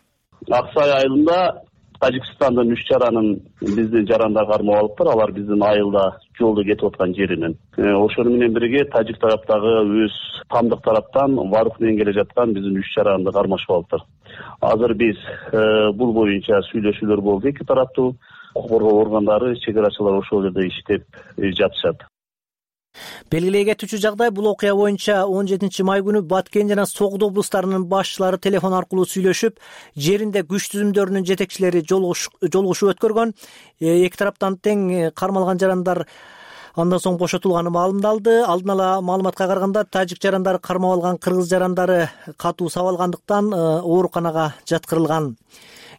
Speaker 7: Ак Сай айылында Тажикстандын үч жаранын биздин жарандар кармап алыптыр. Алар биздин айылда жолдо кетип аткан жеринен. Ошону менен бирге тажик тараптагы өз тамдык тараптан Варух менен келе жаткан биздин үч жаранды кармашып алыптыр. Азыр биз бул боюнча сүйлөшүүлөр болду. Эки тараптуу укук коргоо органдары, чек арачылар ошол жерде иштеп жатышат.
Speaker 5: Белгилей кетүүчү жагдай, бул окуя боюнча он жетинчи май күнү Баткен жана Согд облустарынын башчылары телефон аркылуу сүйлөшүп, жеринде күч түзүмдөрүнүн жетекчилери жолугушуу өткөргөн. Эки тараптан тең кармалган жарандар андан соң бошотулганы маалымдалды. Алдын ала маалыматка караганда, тажик жарандары кармап алган кыргыз жарандары катуу сабалгандыктан ооруканага жаткырылган.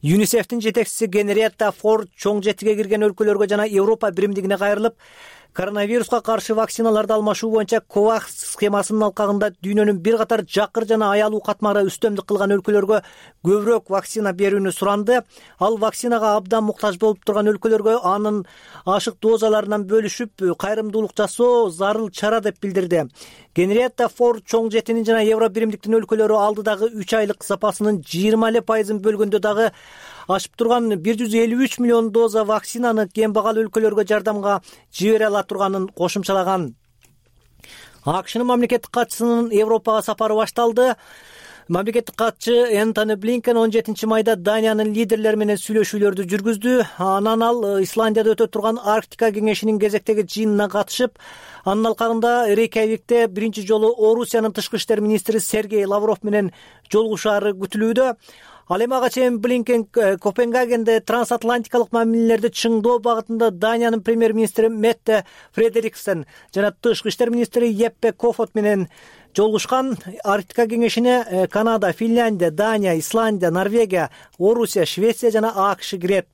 Speaker 5: ЮНИСЕФтин жетекчиси Генриетта Форд чоң жетиге кирген өлкөлөргө жана Европа биримдигине кайрылып, коронавируска каршы вакциналарды алмашуу боюнча ковакс схемасынын алкагында дүйнөнүн бир катар жакыр жана аялуу катмары үстөмдүк кылган өлкөлөргө көбүрөөк вакцина берүүнү суранды. Ал вакцинага абдан муктаж болуп турган өлкөлөргө анын ашык дозаларынан бөлүшүп кайрымдуулук жасоо зарыл чара деп билдирди. Генриетта Форд чоң жетинин жана Евро биримдиктин өлкөлөрү алдыдагы үч айлык запасынын жыйырма эле пайызын бөлгөндө дагы ашып турган бир жүз элүү үч миллион доза вакцинаны кембагал өлкөлөргө жардамга жибере ала турганын кошумчалаган. АКШнын мамлекеттик катчысынын Европага сапары башталды. Мамлекеттик катчы Энтони Блинкен он жетинчи майда Даниянын лидерлери менен сүйлөшүүлөрдү жүргүздү. Анан ал Исландияда өтө турган Арктика кеңешинин кезектеги жыйынына катышып, анын алкагында Рейкьявикте биринчи жолу Орусиянын тышкы иштер министри Сергей Лавров менен жолугушаары күтүлүүдө. Ал эми ага чейин Блинкен Копенгагенде трансатлантикалык мамилелерди чыңдоо багытында Даниянын премьер-министри Метте Фредериксен жана тышкы иштер министри Еппе Кофот менен жолугушкан. Арктика кеңешине Канада, Финляндия, Дания, Исландия, Норвегия, Орусия, Швеция жана АКШ кирет.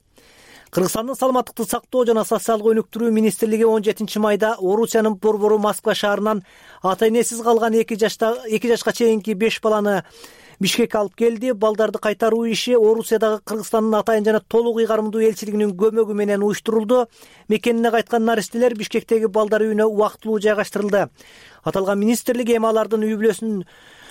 Speaker 5: Кыргызстандын саламаттыкты сактоо жана социалдык өнүктүрүү министрлиги он жетинчи майда Орусиянын борбору Москва шаарынан ата энесиз калган эки жашка чейинки беш баланы Бишкекке алып келди. Балдарды кайтаруу иши Орусиядагы Кыргызстандын атайын жана толук ыйгарымдуу элчилигинин көмөгү менен уюштурулду. Мекенине кайткан наристелер Бишкектеги балдар үйүнө убактылуу жайгаштырылды. Аталган министрлик эми алардын үй бүлөсүн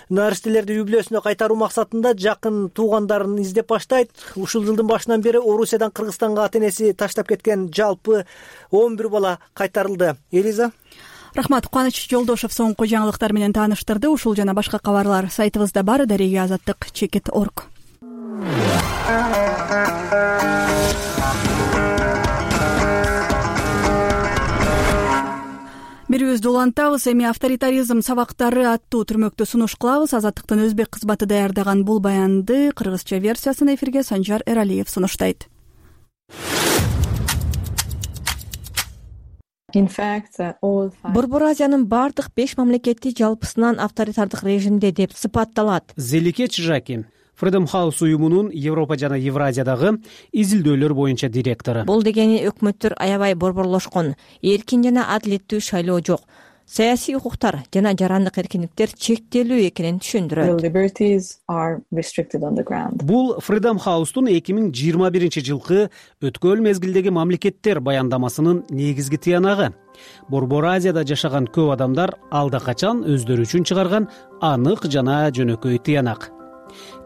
Speaker 5: наристелерди үй бүлөсүнө кайтаруу максатында жакын туугандарын издеп баштайт. Ушул жылдын башынан бери Орусиядан Кыргызстанга ата энеси таштап кеткен жалпы он бир бала кайтарылды. Элиза.
Speaker 1: Рахмат. Кубаныч Жолдошов соңку жаңылыктар менен тааныштырды. Ушул жана башка кабарлар сайтыбызда бар. Дареге азаттык чекит точка орг. Бирибизди улантабыз. Эми авторитаризм сабактары аттуу түрмөктө сунуш кылабыз. Азаттыктын өзбек кызматы даярдаган бул баянды кыргызча версиясын эфирге Санжар Эралиев сунуштайт.
Speaker 12: Борбор Азиянын бардык беш мамлекети жалпысынан авторитардык режимде деп сыпатталат.
Speaker 9: Зелике Чжаки, Freedom House уюмунун Европа жана Евразиядагы изилдөөлөр боюнча директору.
Speaker 12: Бул дегени өкмөттөр аябай борборлошкон, эркин жана адилеттүү шайлоо жок. саясий укуктар жана жарандык эркиндиктер чектелүү экенин түшүндүрөт.
Speaker 9: Бул Freedom House'тун эки миң жыйырма биринчи жылкы өткөн мезгилдеги мамлекеттер баяндамасынын негизги тыянагы. Борбор Азияда жашаган көп адамдар алда качан өздөрү үчүн чыгарган анык жана жөнөкөй тыянак.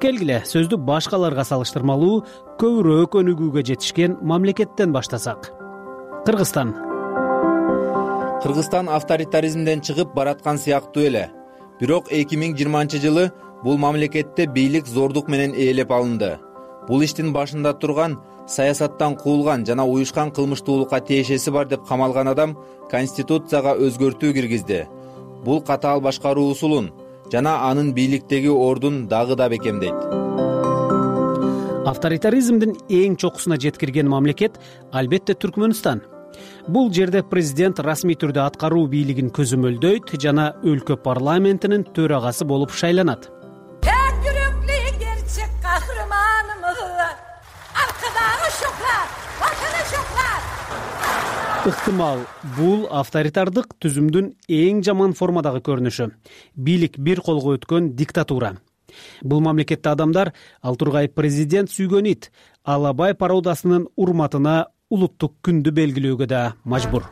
Speaker 9: Келгиле, сөздү башкаларга салыштырмалуу көбүрөөк өнүгүүгө жетишкен мамлекеттен баштасак. Кыргызстан.
Speaker 10: Кыргызстан авторитаризмден чыгып бараткан сыяктуу эле. Бирок эки миң жыйырманчы жылы бул мамлекетте бийлик зордук менен ээлеп алынды. Бул иштин башында турган саясаттан куулган жана уюшкан кылмыштуулукка тиешеси бар деп камалган адам Конституцияга өзгөртүү киргизди. Бул катаал башкаруу усулун жана анын бийликтеги ордун дагы да бекемдейт.
Speaker 9: Авторитаризмдин эң чокусуна жеткирген мамлекет албетте Түркмөнстан. Бул жерде президент расмий түрдө аткаруу бийлигин көзөмөлдөйт жана өлкө парламентинин төрагасы болуп шайланат. Ыктымал, бул авторитардык түзүмдүн эң жаман формадагы көрүнүшү. Бийлик бир колго өткөн диктатура. Бул мамлекетте адамдар ал тургай президент сүйгөн ит, Алабай пародасынын урматына улуттук күндү белгилөөгө да мажбур.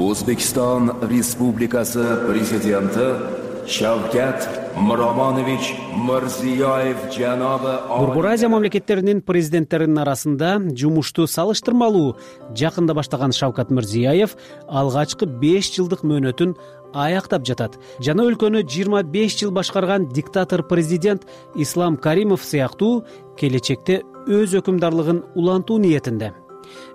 Speaker 11: O'zbekiston Respublikasi Prezidenti Shavkat Miromonovich Mirziyoyev janobi
Speaker 9: Борбор Азия мамлекеттеринин президенттеринин арасында жумушту салыштырмалуу жакында баштаган Шавкат Мирзиёев алгачкы беш жылдык мөөнөтүн аяктап жатат жана өлкөнү жыйырма беш жыл башкарган диктатор президент Ислам Каримов сыяктуу келечекте өз өкүмдарлыгын улантуу ниетинде.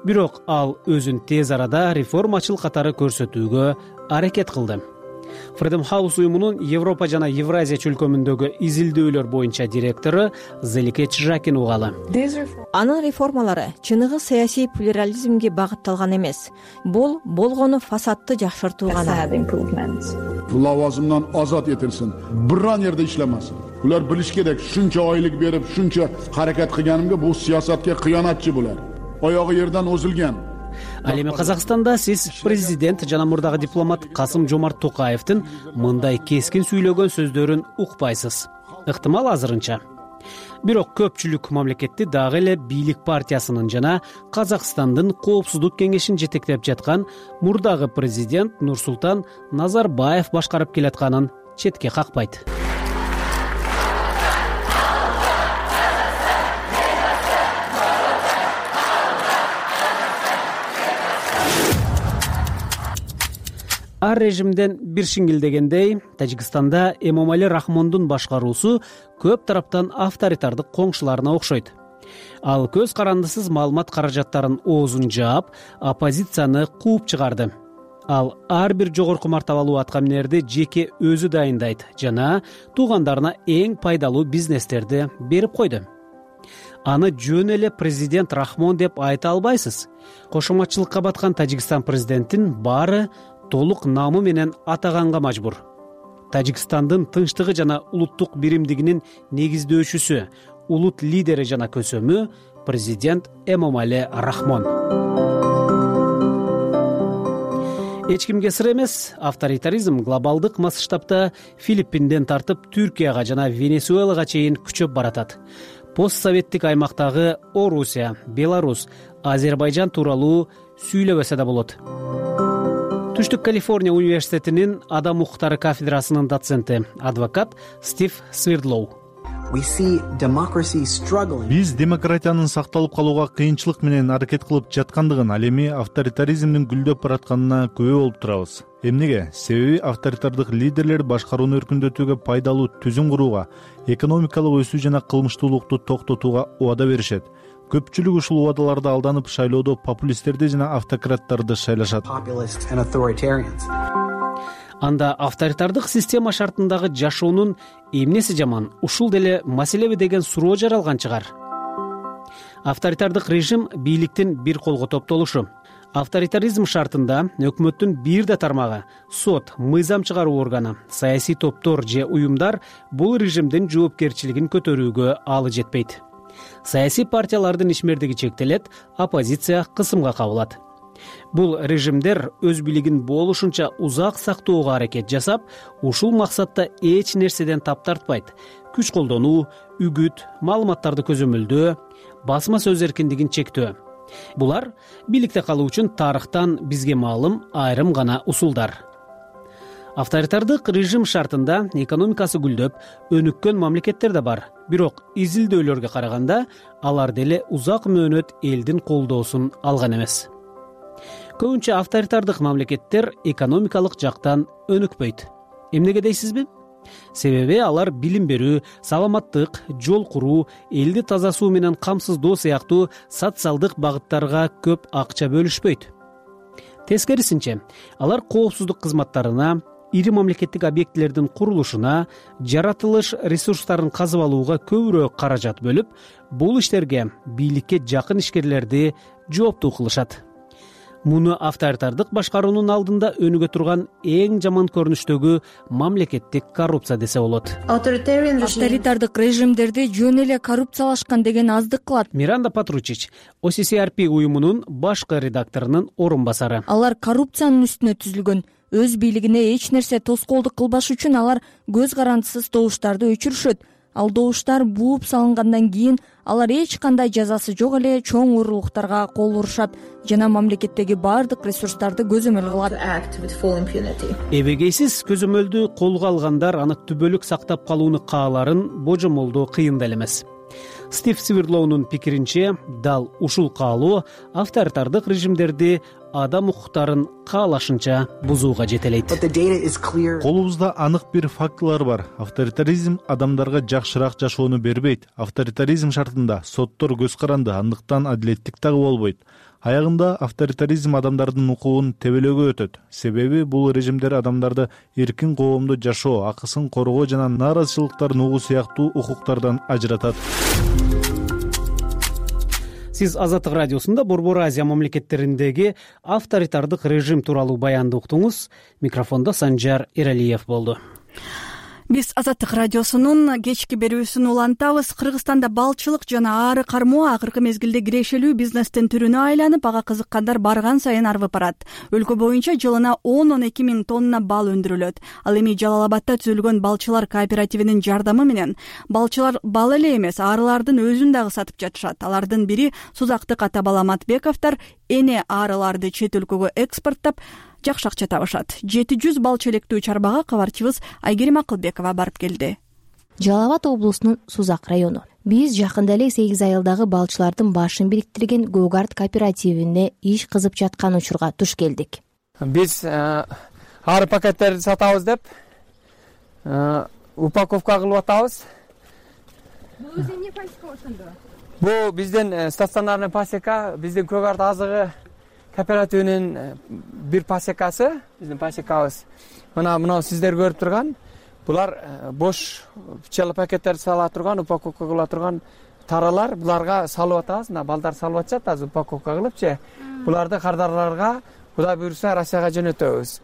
Speaker 9: Бирок ал өзүн тез арада реформачыл катары көрсөтүүгө аракет кылды. Freedom House уюмунун Европа жана Евразия чөлкөмүндөгү изилдөөлөр боюнча директору Зелике Чжакин угалы.
Speaker 12: Анын реформалары чыныгы саясий плюрализмге багытталган эмес. Бул болгону фасадты жакшыртуу гана.
Speaker 20: Лавазымдан азат этилсин, биран жерде иштемесин. Булар билиш керек, шунча айлык берип, шунча аракет кылганымга бул саясатка кыянатчы булар. Аягы жерден озулган.
Speaker 9: Ал эми Казакстанда сиз президент жана мурдагы дипломат Касым Жомарт Токаевдин мындай кескин сүйлөгөн сөздөрүн укпайсыз. Ыктымал азырынча. Бирок көпчүлүк мамлекетти дагы эле бийлик партиясынын жана Казакстандын коопсуздук кеңешин жетектеп жаткан мурдагы президент Нурсултан Назарбаев башкарып келатканын четке какпайт. Ар режимден бир шиңгилдегендей, Тажикстанда Эмомали Рахмондун башкаруусу көп тараптан авторитардык коңшуларына окшойт. Ал көз карандысыз маалымат каражаттарын оозун жаап, оппозицияны кууп чыгарды. Ал ар бир жогорку мартабалуу аткаминерди жеке өзү дайындайт жана туугандарына эң пайдалуу бизнестерди берип койду. Аны жөн эле президент Рахмон деп айта албайсыз. Кошоматчылыкка баткан Тажикстан президентин баары толук намы менен атаганга мажбур. Тажикстандын тынчтыгы жана улуттук биримдигинин негиздөөчүсү, улут лидери жана көсөмү президент Эмомали Рахмон. Эч кимге сыр эмес, авторитаризм глобалдык масштабта Филиппинден тартып Түркияга жана Венесуэлага чейин күчөп баратат. Постсоветтик аймактагы Орусия, Беларусь, Азербайжан тууралуу сүйлөбөсө да болот. Түштүк Калифорния университетинин адам укуктары кафедрасынын доценти, адвокат Стив Свердлоу.
Speaker 8: Биз демократиянын сакталып калууга кыйынчылык менен аракет кылып жаткандыгын, ал эми авторитаризмдин гүлдөп баратканына күбө болуп турабыз. Эмнеге? Себеби авторитардык лидерлер башкарууну өркүндөтүүгө пайдалуу түзүм курууга, экономикалык өсүү жана кылмыштуулукту токтотууга убада беришет. Көпчүлүк ушул убадаларды алданып шайлоодо популисттерди жана автократтарды шайлашат.
Speaker 9: Анда авторитардык система шартындагы жашоонун эмнеси жаман, ушул деле маселеби деген суроо жаралган чыгар. Авторитардык режим бийликтин бир колго топтолушу. Авторитаризм шартында өкмөттүн бир да тармагы, сот, мыйзам чыгаруу органы, саясий топтор же уюмдар бул режимдин жоопкерчилигин көтөрүүгө алы жетпейт. Саясий партиялардын ишмердиги чектелет, оппозиция кысымга кабылат. Бул режимдер өз бийлигин болушунча узак сактоого аракет жасап, ушул максатта эч нерседен тап тартпайт. Күч колдонуу, үгүт, маалыматтарды көзөмөлдөө, басма сөз эркиндигин чектөө. Булар бийликте калуу үчүн тарыхтан бизге маалым айрым гана усулдар. Авторитардык режим шартында экономикасы гүлдөп, өнүккөн мамлекеттер да бар. Бирок изилдөөлөргө караганда алар деле узак мөөнөт элдин колдоосун алган эмес. Көбүнчө авторитардык мамлекеттер экономикалык жактан өнүкпөйт. Эмнеге дейсизби? Себеби алар билим берүү, саламаттык, жол куруу, элди таза суу менен камсыздоо сыяктуу социалдык багыттарга көп акча бөлүшпөйт. Тескерисинче, алар коопсуздук кызматтарына, ири мамлекеттик объектилердин курулушуна, жаратылыш ресурстарын казып алууга көбүрөөк каражат бөлүп, бул иштерге бийликке жакын ишкерлерди жооптуу кылышат. Муну авторитардык башкаруунун алдында өнүгө турган эң жаман көрүнүштөгү мамлекеттик коррупция десе болот.
Speaker 12: Авторитардык режимдерди жөн эле коррупциялашкан деген аздык кылат.
Speaker 9: Миранда Патручич, о си си ар пи уюмунун башкы редакторунун орун басары.
Speaker 12: Алар коррупциянын үстүнө түзүлгөн. Өз бийлигине эч нерсе тоскоолдук кылбаш үчүн алар көз карандысыз добуштарды өчүрүшөт. Ал добуштар бууп салынгандан кийин алар эч кандай жазасы жок эле чоң уурулуктарга кол урушат жана мамлекеттеги баардык ресурстарды көзөмөл кылат.
Speaker 9: Эбегейсиз көзөмөлдү колго алгандар аны түбөлүк сактап калууну кааларын божомолдоо кыйын да эле эмес. Стив Свирлоунун пикиринче, дал ушул каалоо авторитардык режимдерди адам укуктарын каалашынча бузууга жетелейт.
Speaker 8: Колубузда анык бир фактылар бар. Авторитаризм адамдарга жакшыраак жашоону бербейт. Авторитаризм шартында соттор көз каранды, андыктан адилеттик дагы болбойт. Аягында авторитаризм адамдардын укугун тебелөөгө өтөт. Себеби бул режимдер адамдарды эркин коомдо жашоо, акысын коргоо жана нааразычылыктарын угуу сыяктуу укуктардан ажыратат.
Speaker 9: Сиз Азаттык радиосунда Борбор Азия мамлекеттериндеги авторитардык режим тууралуу баянды уктуңуз. Микрофондо Санжар Эралиев болду.
Speaker 1: Биз Азаттык радиосунун кечки берүүсүн улантабыз. Кыргызстанда балчылык жана ары кармоо акыркы мезгилде кирешелүү бизнестин түрүнө айланып, ага кызыккандар барган сайын арбып барат. Өлкө боюнча жылына он он эки миң тонна бал өндүрүлөт. Ал эми Жалал Абадта түзүлгөн балчылар кооперативинин жардамы менен балчылар бал эле эмес, арылардын өзүн дагы сатып жатышат. Алардын бири Сузактык ата бала Матбековдор эне арыларды чет өлкөгө экспорттоп жакшы акча табышат. жети жүз бал челектүү чарбага кабарчыбыз Айгерим Акылбекова барып келди.
Speaker 2: Жалал Абад облусунун Сузак району. Биз жакында эле сегиз айылдагы балчылардын башын бириктирген Гогард кооперативине иш кызып жаткан учурга туш келдик.
Speaker 3: Биз ары пакеттерди сатабыз деп упаковка кылып атабыз.
Speaker 13: Бул эмне пасека ошондо?
Speaker 3: Бул биздин стационарный пасека, биздин Гогард азыгы кооперативинин бир пасекасы, биздин пасекабыз. Мына мына сиздер көрүп турган, булар бош пчела пакеттерди сала турган, упаковка кыла турган таралар, буларга салып атабыз. Мына балдар салып атышат, азыр упаковка кылыпчы. Буларды кардарларга Кудай буйруса Россияга жөнөтөбүз.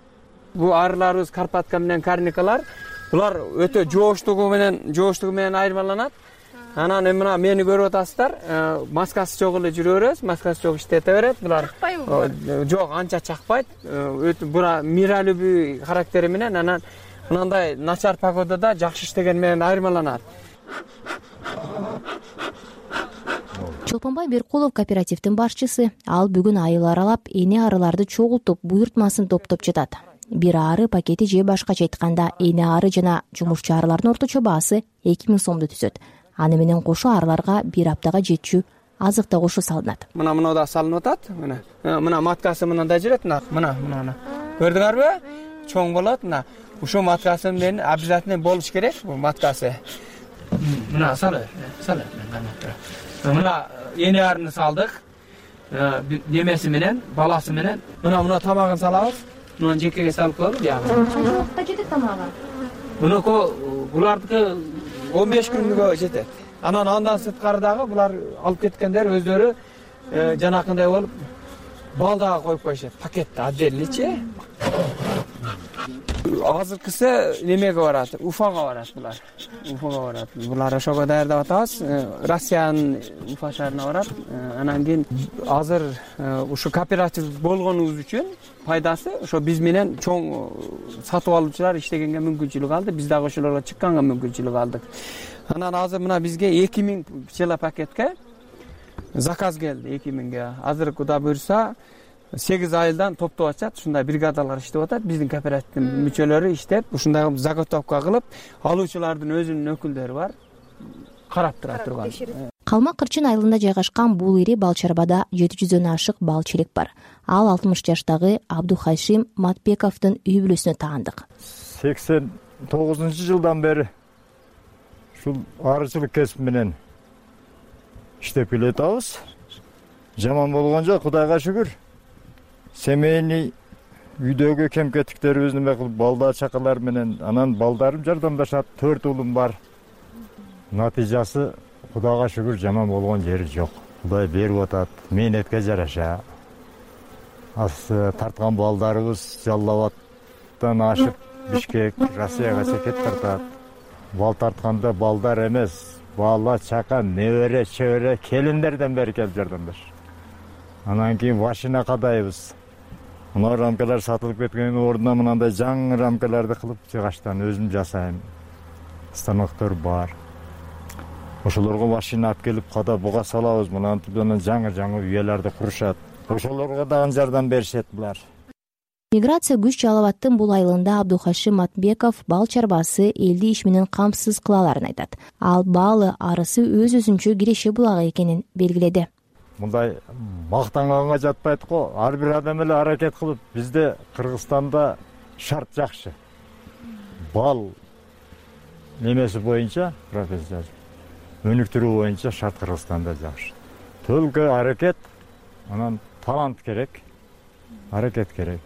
Speaker 3: Бул арыларыбыз Карпатка менен Карникалар. Булар өтө жооштугу менен, жооштугу менен айырмаланат. Анан мына мени көрүп атасыздар, маскасы жок эле жүрө беребиз, маскасы жок иштете берет. Булар жок, анча чакпайт. Өтө бура миралүбү характери менен анан мындай начар погодада жакшы иштеген менен айырмаланат.
Speaker 2: Чолпонбай Беркулов кооперативдин башчысы. Ал бүгүн айыл аралап, эне арыларды чогултуп, буйртмасын топтоп жатат. Бир ары пакети же башкача айтканда, эне ары жана жумушчу арылардын орточо баасы эки миң сомду түзөт. Аны менен кошо арыларга бир аптага жетчү азык да кошо салынат.
Speaker 3: Мына мына да салынып атат. Мына мына маткасы мындай жүрөт. Мына мына мына. Көрдүңөрбү? Чоң болот. Мына ушул маткасы менен обязательно болуш керек. Бул маткасы. Мына салы, салы. Мына эне арыны салдык. Немеси менен, баласы менен. Мына мына тамагын салабыз. Мына жекеге салып коелу жагы.
Speaker 13: Канча убакытта жетет тамагы?
Speaker 3: Муну булардыкы он беш күнгө жетет. Анан андан сырткары дагы булар алып кеткендер өздөрү жанакындай болуп бал дагы коюп коюшат пакетте отдельныйчи. Азыркысы немеге барат, Уфага барат булар. Уфага барат. Булар ошого даярдап атабыз. Россиянын Уфа шаарына барат. Анан кийин азыр ушу кооператив болгонубуз үчүн пайдасы ошо биз менен чоң сатып алуучулар иштегенге мүмкүнчүлүк алды. Биз дагы ошолорго чыкканга мүмкүнчүлүк алдык. Анан азыр мына бизге эки миң пчела пакетке заказ келди, эки миңге. Азыр Кудай буйрса сегиз айылдан топтоп атышат, ушундай бригадалар иштеп атат. Биздин кооперативдин мүчөлөрү иштеп, ушундай заготовка кылып, алуучулардын өзүнүн өкүлдөрү бар, карап тура турган.
Speaker 2: Калмак Кырчын айылында жайгашкан бул ири бал чарбада жети жүздөн ашык бал челек бар. Ал алтымыш жаштагы Абдухашим Матбековдун үй бүлөсүнө таандык.
Speaker 23: сексен тогузунчу жылдан бери ушул арычылык кесип менен иштеп келатабыз. Жаман болгон жок, Кудайга шүгүр. Семейный үйдөгү кем-кетиктерибизди неме кылып, балдар чакалар менен анан балдарым жардамдашат. төрт уулум бар. Натыйжасы Кудайга шүгүр жаман болгон жери жок. Кудай берип атат, мээнетке жараша. Ас тарткан балдарыбыз Жалал-Абадтан ашып Бишкек, Россияга чекет тартат. Бал тартканда балдар эмес, бала, чака, небере, чебере, келиндерден бери келип жардамдаш. Анан кийин машина кадайбыз. Мына рамкалар сатылып кеткендин ордуна мынандай жаңы рамкаларды кылып жыгачтан өзүм жасайм. Станоктор бар. Ошолорго машина алып келип када буга салабыз. Мынантип анан жаңы-жаңы уяларды курушат. Ошолорго дагы жардам беришет булар.
Speaker 2: Миграция күч Жалал-Абадтын бул айылында Абдухашим Матбеков бал чарбасы элди иш менен камсыз кылаларын айтат. Ал балы арысы өз-өзүнчө киреше булагы экенин белгиледи.
Speaker 23: Мындай мактанганга жатпайт го. Ар бир адам эле аракет кылып, бизде Кыргызстанда шарт жакшы. Бал немеси боюнча, профессия өнүктүрүү боюнча шарт Кыргызстанда жакшы. Төлкө аракет, анан талант керек, аракет керек.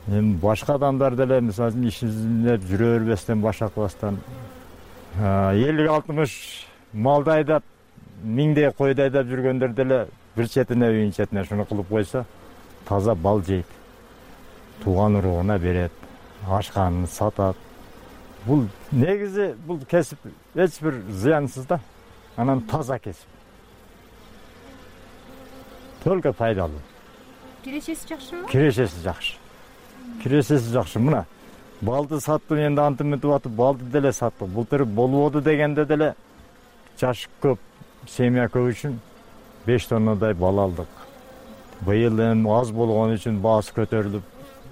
Speaker 23: Эми башка адамдар деле мисалы үчүн ишине жүрө бербестен, баш акыбастан элүү алтымыш малды айдап, миңдей койду айдап жүргөндөр деле бир четине үйүн четине шуну кылып койсо, таза бал жейт. Тууган уругуна берет, ашканын сатат. Бул негизи бул кесип эч бир зыянсыз да. Анан таза кесип. Только пайдалуу.
Speaker 13: Кирешеси жакшымы?
Speaker 23: Кирешеси жакшы. Кирешеси жакшы. Мына балды саттым, энди антып мынтип атып балды деле саттык. Былтыр болбоду дегенде деле жаш көп, семья көп үчүн беш тоннадай бал алдык. Быйыл эми аз болгон үчүн баасы көтөрүлүп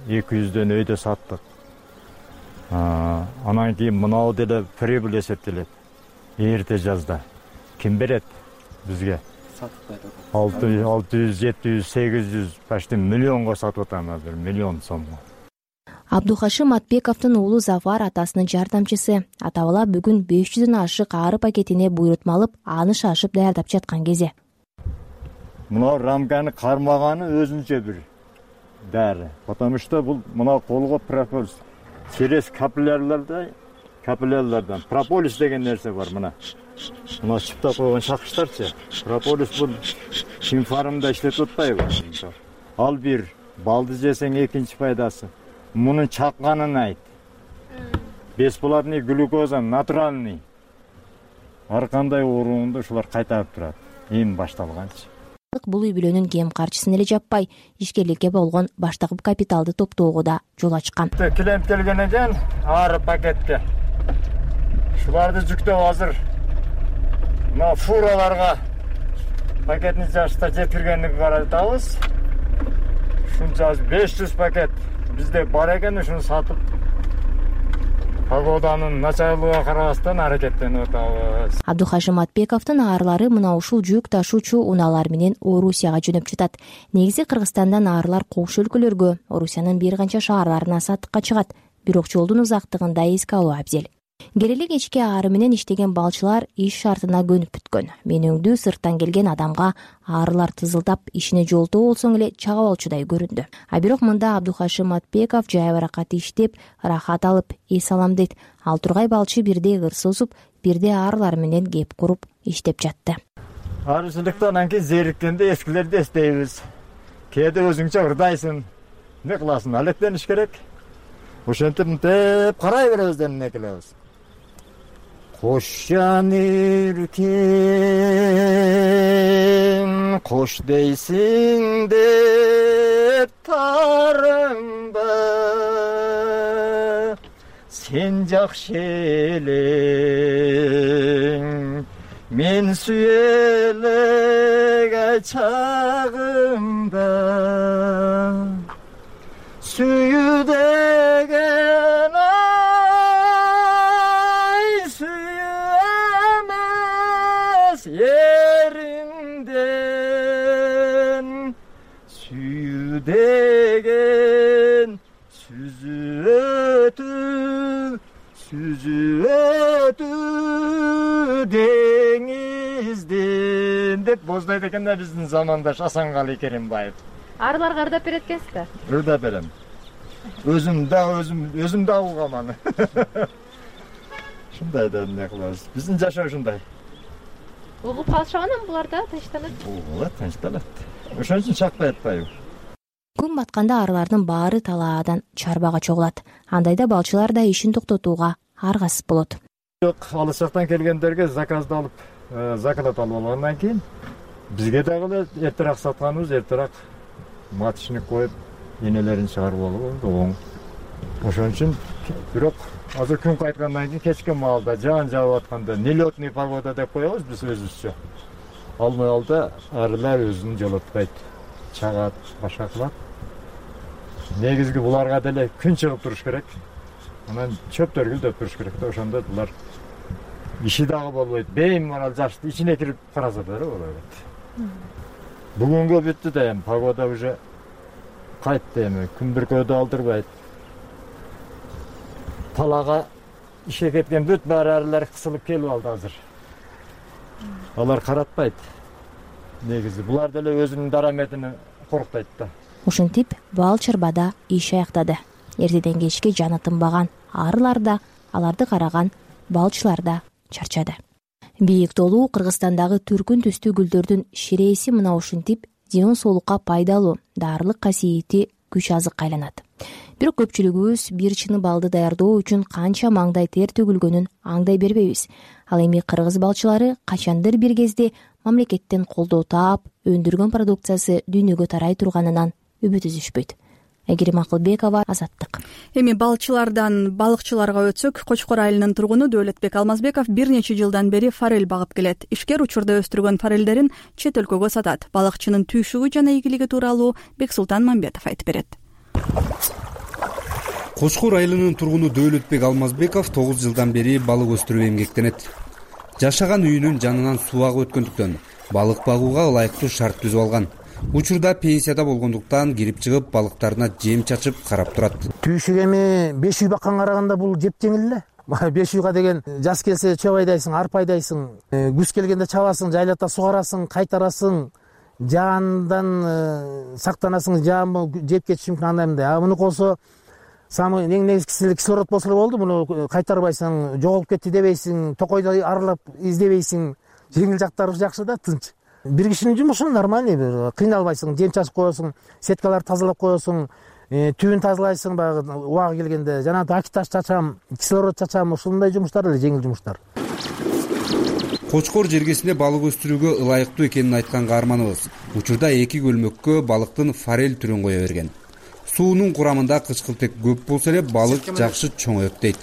Speaker 23: эки жүздөн өйдө саттык. Анан кийин мынау деле прибыль эсептелет. Эрте жазда ким берет бизге? алты жүз, жети жүз, сегиз жүз, почти миллионго сатып атам азыр, миллион сомго.
Speaker 2: Абдухашим Матбековдун уулу Зафар атасынын жардамчысы. Ата-бала бүгүн беш жүздөн ашык ары пакетине буйрутма алып, аны шашып даярдап жаткан кезде.
Speaker 23: Мына рамканы кармаганы өзүнчө бир дары. Потому что бул мына колго прополис через капилляларда, капиллялардан прополис деген нерсе бар мына. Мына чыптап койгон чакыштарчы. Прополис бул синфармда иштетип атпайбы? Ал бир, балды жесең экинчи пайдасы. Мунун чакканын айт. Бесплатный глюкоза, натуральный. Ар кандай ооруңду ушулар кайтарып турат. Эми башталганчы.
Speaker 2: Бул үй бүлөнүн кем карчысын эле жаппай, ишкерликке болгон баштагы капиталды топтоого да жол ачкан.
Speaker 23: Клиент келген экен, ары пакетке. Шуларды жүктөп азыр мына фураларга пакетни жашта жеткиргенди каратабыз. Ушунча беш жүз пакет бизде бар экен, ушуну сатып погоданын начарлыгына карабастан аракеттенип атабыз.
Speaker 2: Абдухашим Матбековдун аарылары мына ушул жүк ташуучу унаалар менен Орусияга жөнөп жатат. Негизи Кыргызстандан аарылар коңшу өлкөлөргө, Орусиянын бир канча шаарларына саттыкка чыгат. Бирок жолдун узактыгын да эске алуу абзел. Келели кечки ары менен иштеген балчылар иш шартына көнүп бүткөн. Менөңдүү сырттан келген адамга аарылар тызылдап ишине жолтоо болсоң эле чагып алчудай көрүндү. А бирок мында Абдухашим Матбеков жай баракат иштеп, рахат алып, эс алам дейт. Ал тургай балчы бирде ыр созуп, бирде аарылар менен кеп куруп иштеп жатты.
Speaker 23: Арычылыктан анан кийин зериккенде эскилерди эстейбиз. кээде өзүңчө ырдайсың, эмне кыласың, алектениш керек. Ошентип мынтип карай беребиз деп эмне кылабыз. Кош жан эркем, кош дейсиң деп тарыңба, сен жакшы элең, мен сүйелеге чагымда. Сүйүү деген ай, сүйүү эмес ериңден, сүйүү деген сүзүп сүзүп деңизден деп боздойт экен да биздин замандаш Асанкали Керимбаев.
Speaker 13: Арыларга ырдап берет экенсиз да?
Speaker 23: Ырдап берем. Өзүм да өзүм өзүм да угам аны. Шундай да эмне кылабыз? Биздин жашоо ушундай.
Speaker 13: Угуп калышабы анан булар да тынчтанат?
Speaker 23: Угулат, тынчтанат. Ошон үчүн чакпай атпайбы?
Speaker 2: Күн батканда арылардын баары талаадан чарбага чогулат. Андайда балчылар да ишин токтотууга аргасыз болот.
Speaker 23: Жок, алыс жактан келгендерге заказды алып, заказат алып алгандан кийин бизге дагы эртерээк сатканыбыз, эртерээк маточник коюп, энелерин чыгарып алып оң. Ошон үчүн бирок азыр күн кайткандан кийин кечки маалда жаан жаап атканда нелетный погода деп коебуз биз өзүбүзчө. Ал маалда арылар өзүн жолотпойт, чагат, башка кылат. Негизги буларга деле күн чыгып туруш керек. Анан чөптөр гүлдөп туруш керек да, ошондо булар иши дагы болбойт. Беймарал жашты ичине кирип караса да болот. Бүгүнгө бүттү да эми погода уже кайтты эми, күн бүркөөдө алдырбайт. Талага ишке кеткен бүт баары арылар кысылып келип алды азыр. Алар каратпайт. Негизи булар деле өзүнүн дараметини коруктайт да.
Speaker 2: Ушинтип бал чырбада иш аяктады. Эртеден кечке жаны тынбаган арылар да, аларды караган балчылар да чарчады. Бийик толуу Кыргызстандагы түркүн түстүү гүлдөрдүн ширээси мына ушинтип ден соолукка пайдалуу дарылык касиети күч азыкка айланат. Бирок көпчүлүгүбүз бир чыны балды даярдоо үчүн канча маңдай тер төгүлгөнүн аңдай бербейбиз. Ал эми кыргыз балчылары качандыр бир кезде мамлекеттен колдоо таап, өндүргөн продукциясы дүйнөгө тарай турганынан үмүт үзүшпөйт. Айгерим Акылбекова, Азаттык.
Speaker 1: Эми балчылардан балыкчыларга өтсөк, Кочкор айылынын тургуну Дөөлөтбек Алмазбеков бир нече жылдан бери форель багып келет. Ишкер учурда өстүргөн форелдерин чет өлкөгө сатат. Балыкчынын түйшүгү жана ийгилиги тууралуу Бексултан Мамбетов айтып берет.
Speaker 14: Кочкор айылынын тургуну Дөөлөтбек Алмазбеков тогуз жылдан бери балык өстүрүп эмгектенет. Жашаган үйүнүн жанынан суу агып өткөндүктөн балык багууга ылайыктуу шарт түзүп алган. Учурда пенсияда болгондуктан кирип чыгып балыктарына жем чачып карап турат.
Speaker 16: Түйшүк эми беш үй бакканга караганда бул жеп жеңил эле. беш үйгө деген жаз келсе чөп айдайсың, арпа айдайсың, күз келгенде чабасың, жайлата сугарасың, кайтарасың, жаандан сактанасың, жаан жеп кетиши мүмкүн андай мындай. А муну болсо самый эң негизгиси кислород болсо болду, муну кайтарбайсың, жоголуп кетти дебейсиң, токойду аралап издебейсиң. Жеңил жактары жакшы да, тынч. Бир кишинин жумушу нормальный, бир кыйналбайсың, жем чачып коесуң, сеткаларды тазалап коесуң, түбүн тазалайсың баягы убагы келгенде, жана акиташ чачам, кислород чачам, ушундай жумуштар эле жеңил жумуштар.
Speaker 14: Кочкор жергесинде балык өстүрүүгө ылайыктуу экенин айткан каарманыбыз учурда эки көлмөккө балыктын форель түрүн кое берген. Суунун курамында кычкылтек көп болсо эле балык жакшы чоңоет дейт.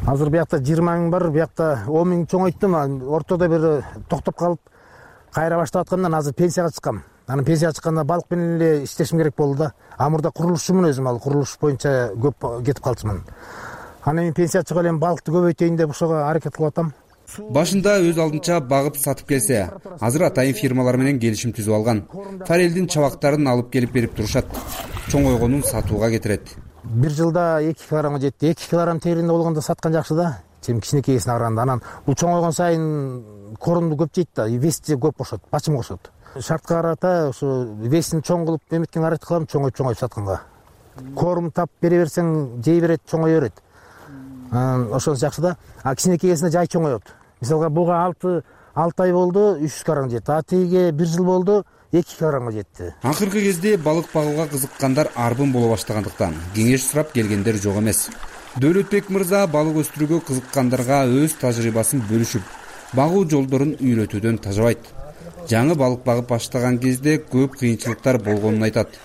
Speaker 16: Азыр биякта жыйырма миң бар, биякта он миң чоңойттум, ортодо бир токтоп калып кайра баштап аткандан азыр пенсияга чыккам. Анан пенсияга чыкканда балык менен эле иштешим керек болду да. А мурда курулушчумун өзүм, ал курулуш боюнча көп кетип калчумун. Анан эми пенсия чыгып элем, балыкты көбөйтөйүн деп ошого аракет кылып атам.
Speaker 14: Башында өз алдынча багып сатып келсе, азыр атайын фирмалар менен келишим түзүп алган. Форелдин чабактарын алып келип берип турушат. Чоңойгонун сатууга кетирет.
Speaker 16: Бир жылда эки килограмга жетти. эки килограмм теринде болгондо саткан жакшы да. Чем кичинекейсине караганда. Анан бул чоңойгон сайын корунду көп жейт да, веси көп кошот, бачым кошот. Шартка карата ошо весин чоң кылып эметкенге аракет кылам, чоңойт чоңойт сатканга. Корум тап бере берсең, жей берет, чоңое берет. Ошонусу жакшы да. А кичинекейсине жай чоңоет. Мисалга буга алты алты ай болду, үч жүз килограмм жетти. А тиге бир жыл болду, эки килограммга жетти.
Speaker 14: Акыркы кезде балык багууга кызыккандар арбын боло баштагандыктан кеңеш сурап келгендер жок эмес. Дөөлөтбек мырза балык өстүрүүгө кызыккандарга өз тажрыйбасын бөлүшүп, багуу жолдорун үйрөтүүдөн тажабайт. Жаңы балык багып баштаган кезде көп кыйынчылыктар болгонун айтат.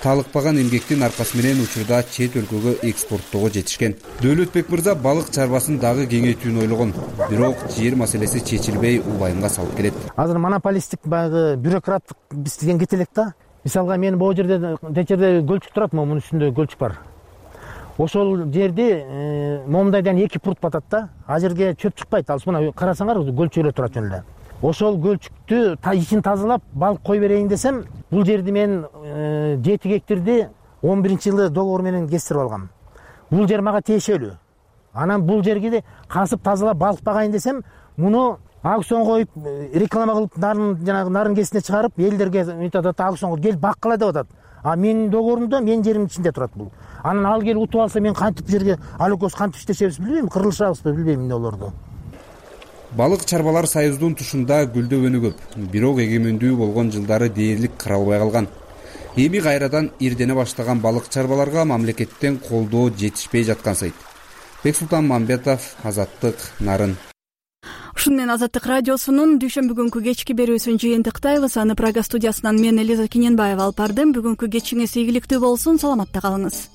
Speaker 14: Талыкпаган эмгектин аркасы менен учурда чет өлкөгө экспорттоого жетишкен. Дөөлөтбек мырза балык чарбасын дагы кеңейтүүнү ойлогон, бирок жер маселеси чечилбей убайымга салып келет.
Speaker 16: Азыр монополисттик баягы бюрократтык бизден кете элек да. Мисалга мен бул жерде течерде көлчүк турат, мунун үстүндө көлчүк бар. Ошол жерде момундайдан эки пурт батат да. А жерге чөп чыкпайт. Ал мына карасаңар көлчүк эле турат жөн эле. Ошол көлчүктү ичин тазалап балык кой берейин десем, бул жерди мен жети гектарди он биринчи жылы договор менен кестирип алгам. Бул жер мага тиешелүү. Анан бул жерге касып тазалап балык багайын десем, муну аукцион коюп, реклама кылып, нарын жанагы нарын кесине чыгарып, элдерге айтат, аукцион келип баккыла деп атат. А менин договорумда менин жеримдин ичинде турат бул. Анан ал келип утуп алса, мен кантип жерге ал экөөбүз кантип иштешебиз билбейм, кырылышабызбы билбейм эмне болорду.
Speaker 14: Балык чарбалар союздун тушунда гүлдөбөнү көп, бирок эгемендүү болгон жылдары дээрлик каралбай калган. Эми кайрадан ирдене баштаган балык чарбаларга мамлекеттен колдоо жетишпей жаткан сайт. Бексултан Мамбетов, Азаттык, Нарын.
Speaker 1: Ушуну менен Азаттык радиосунун дүйшөмбү күнкү кечки берүүсүн жыйынтыктайбыз. Аны Прага студиясынан мен Элиза Кененбаева алып бардым. Бүгүнкү кечиңиз ийгиликтүү болсун, саламатта калыңыз.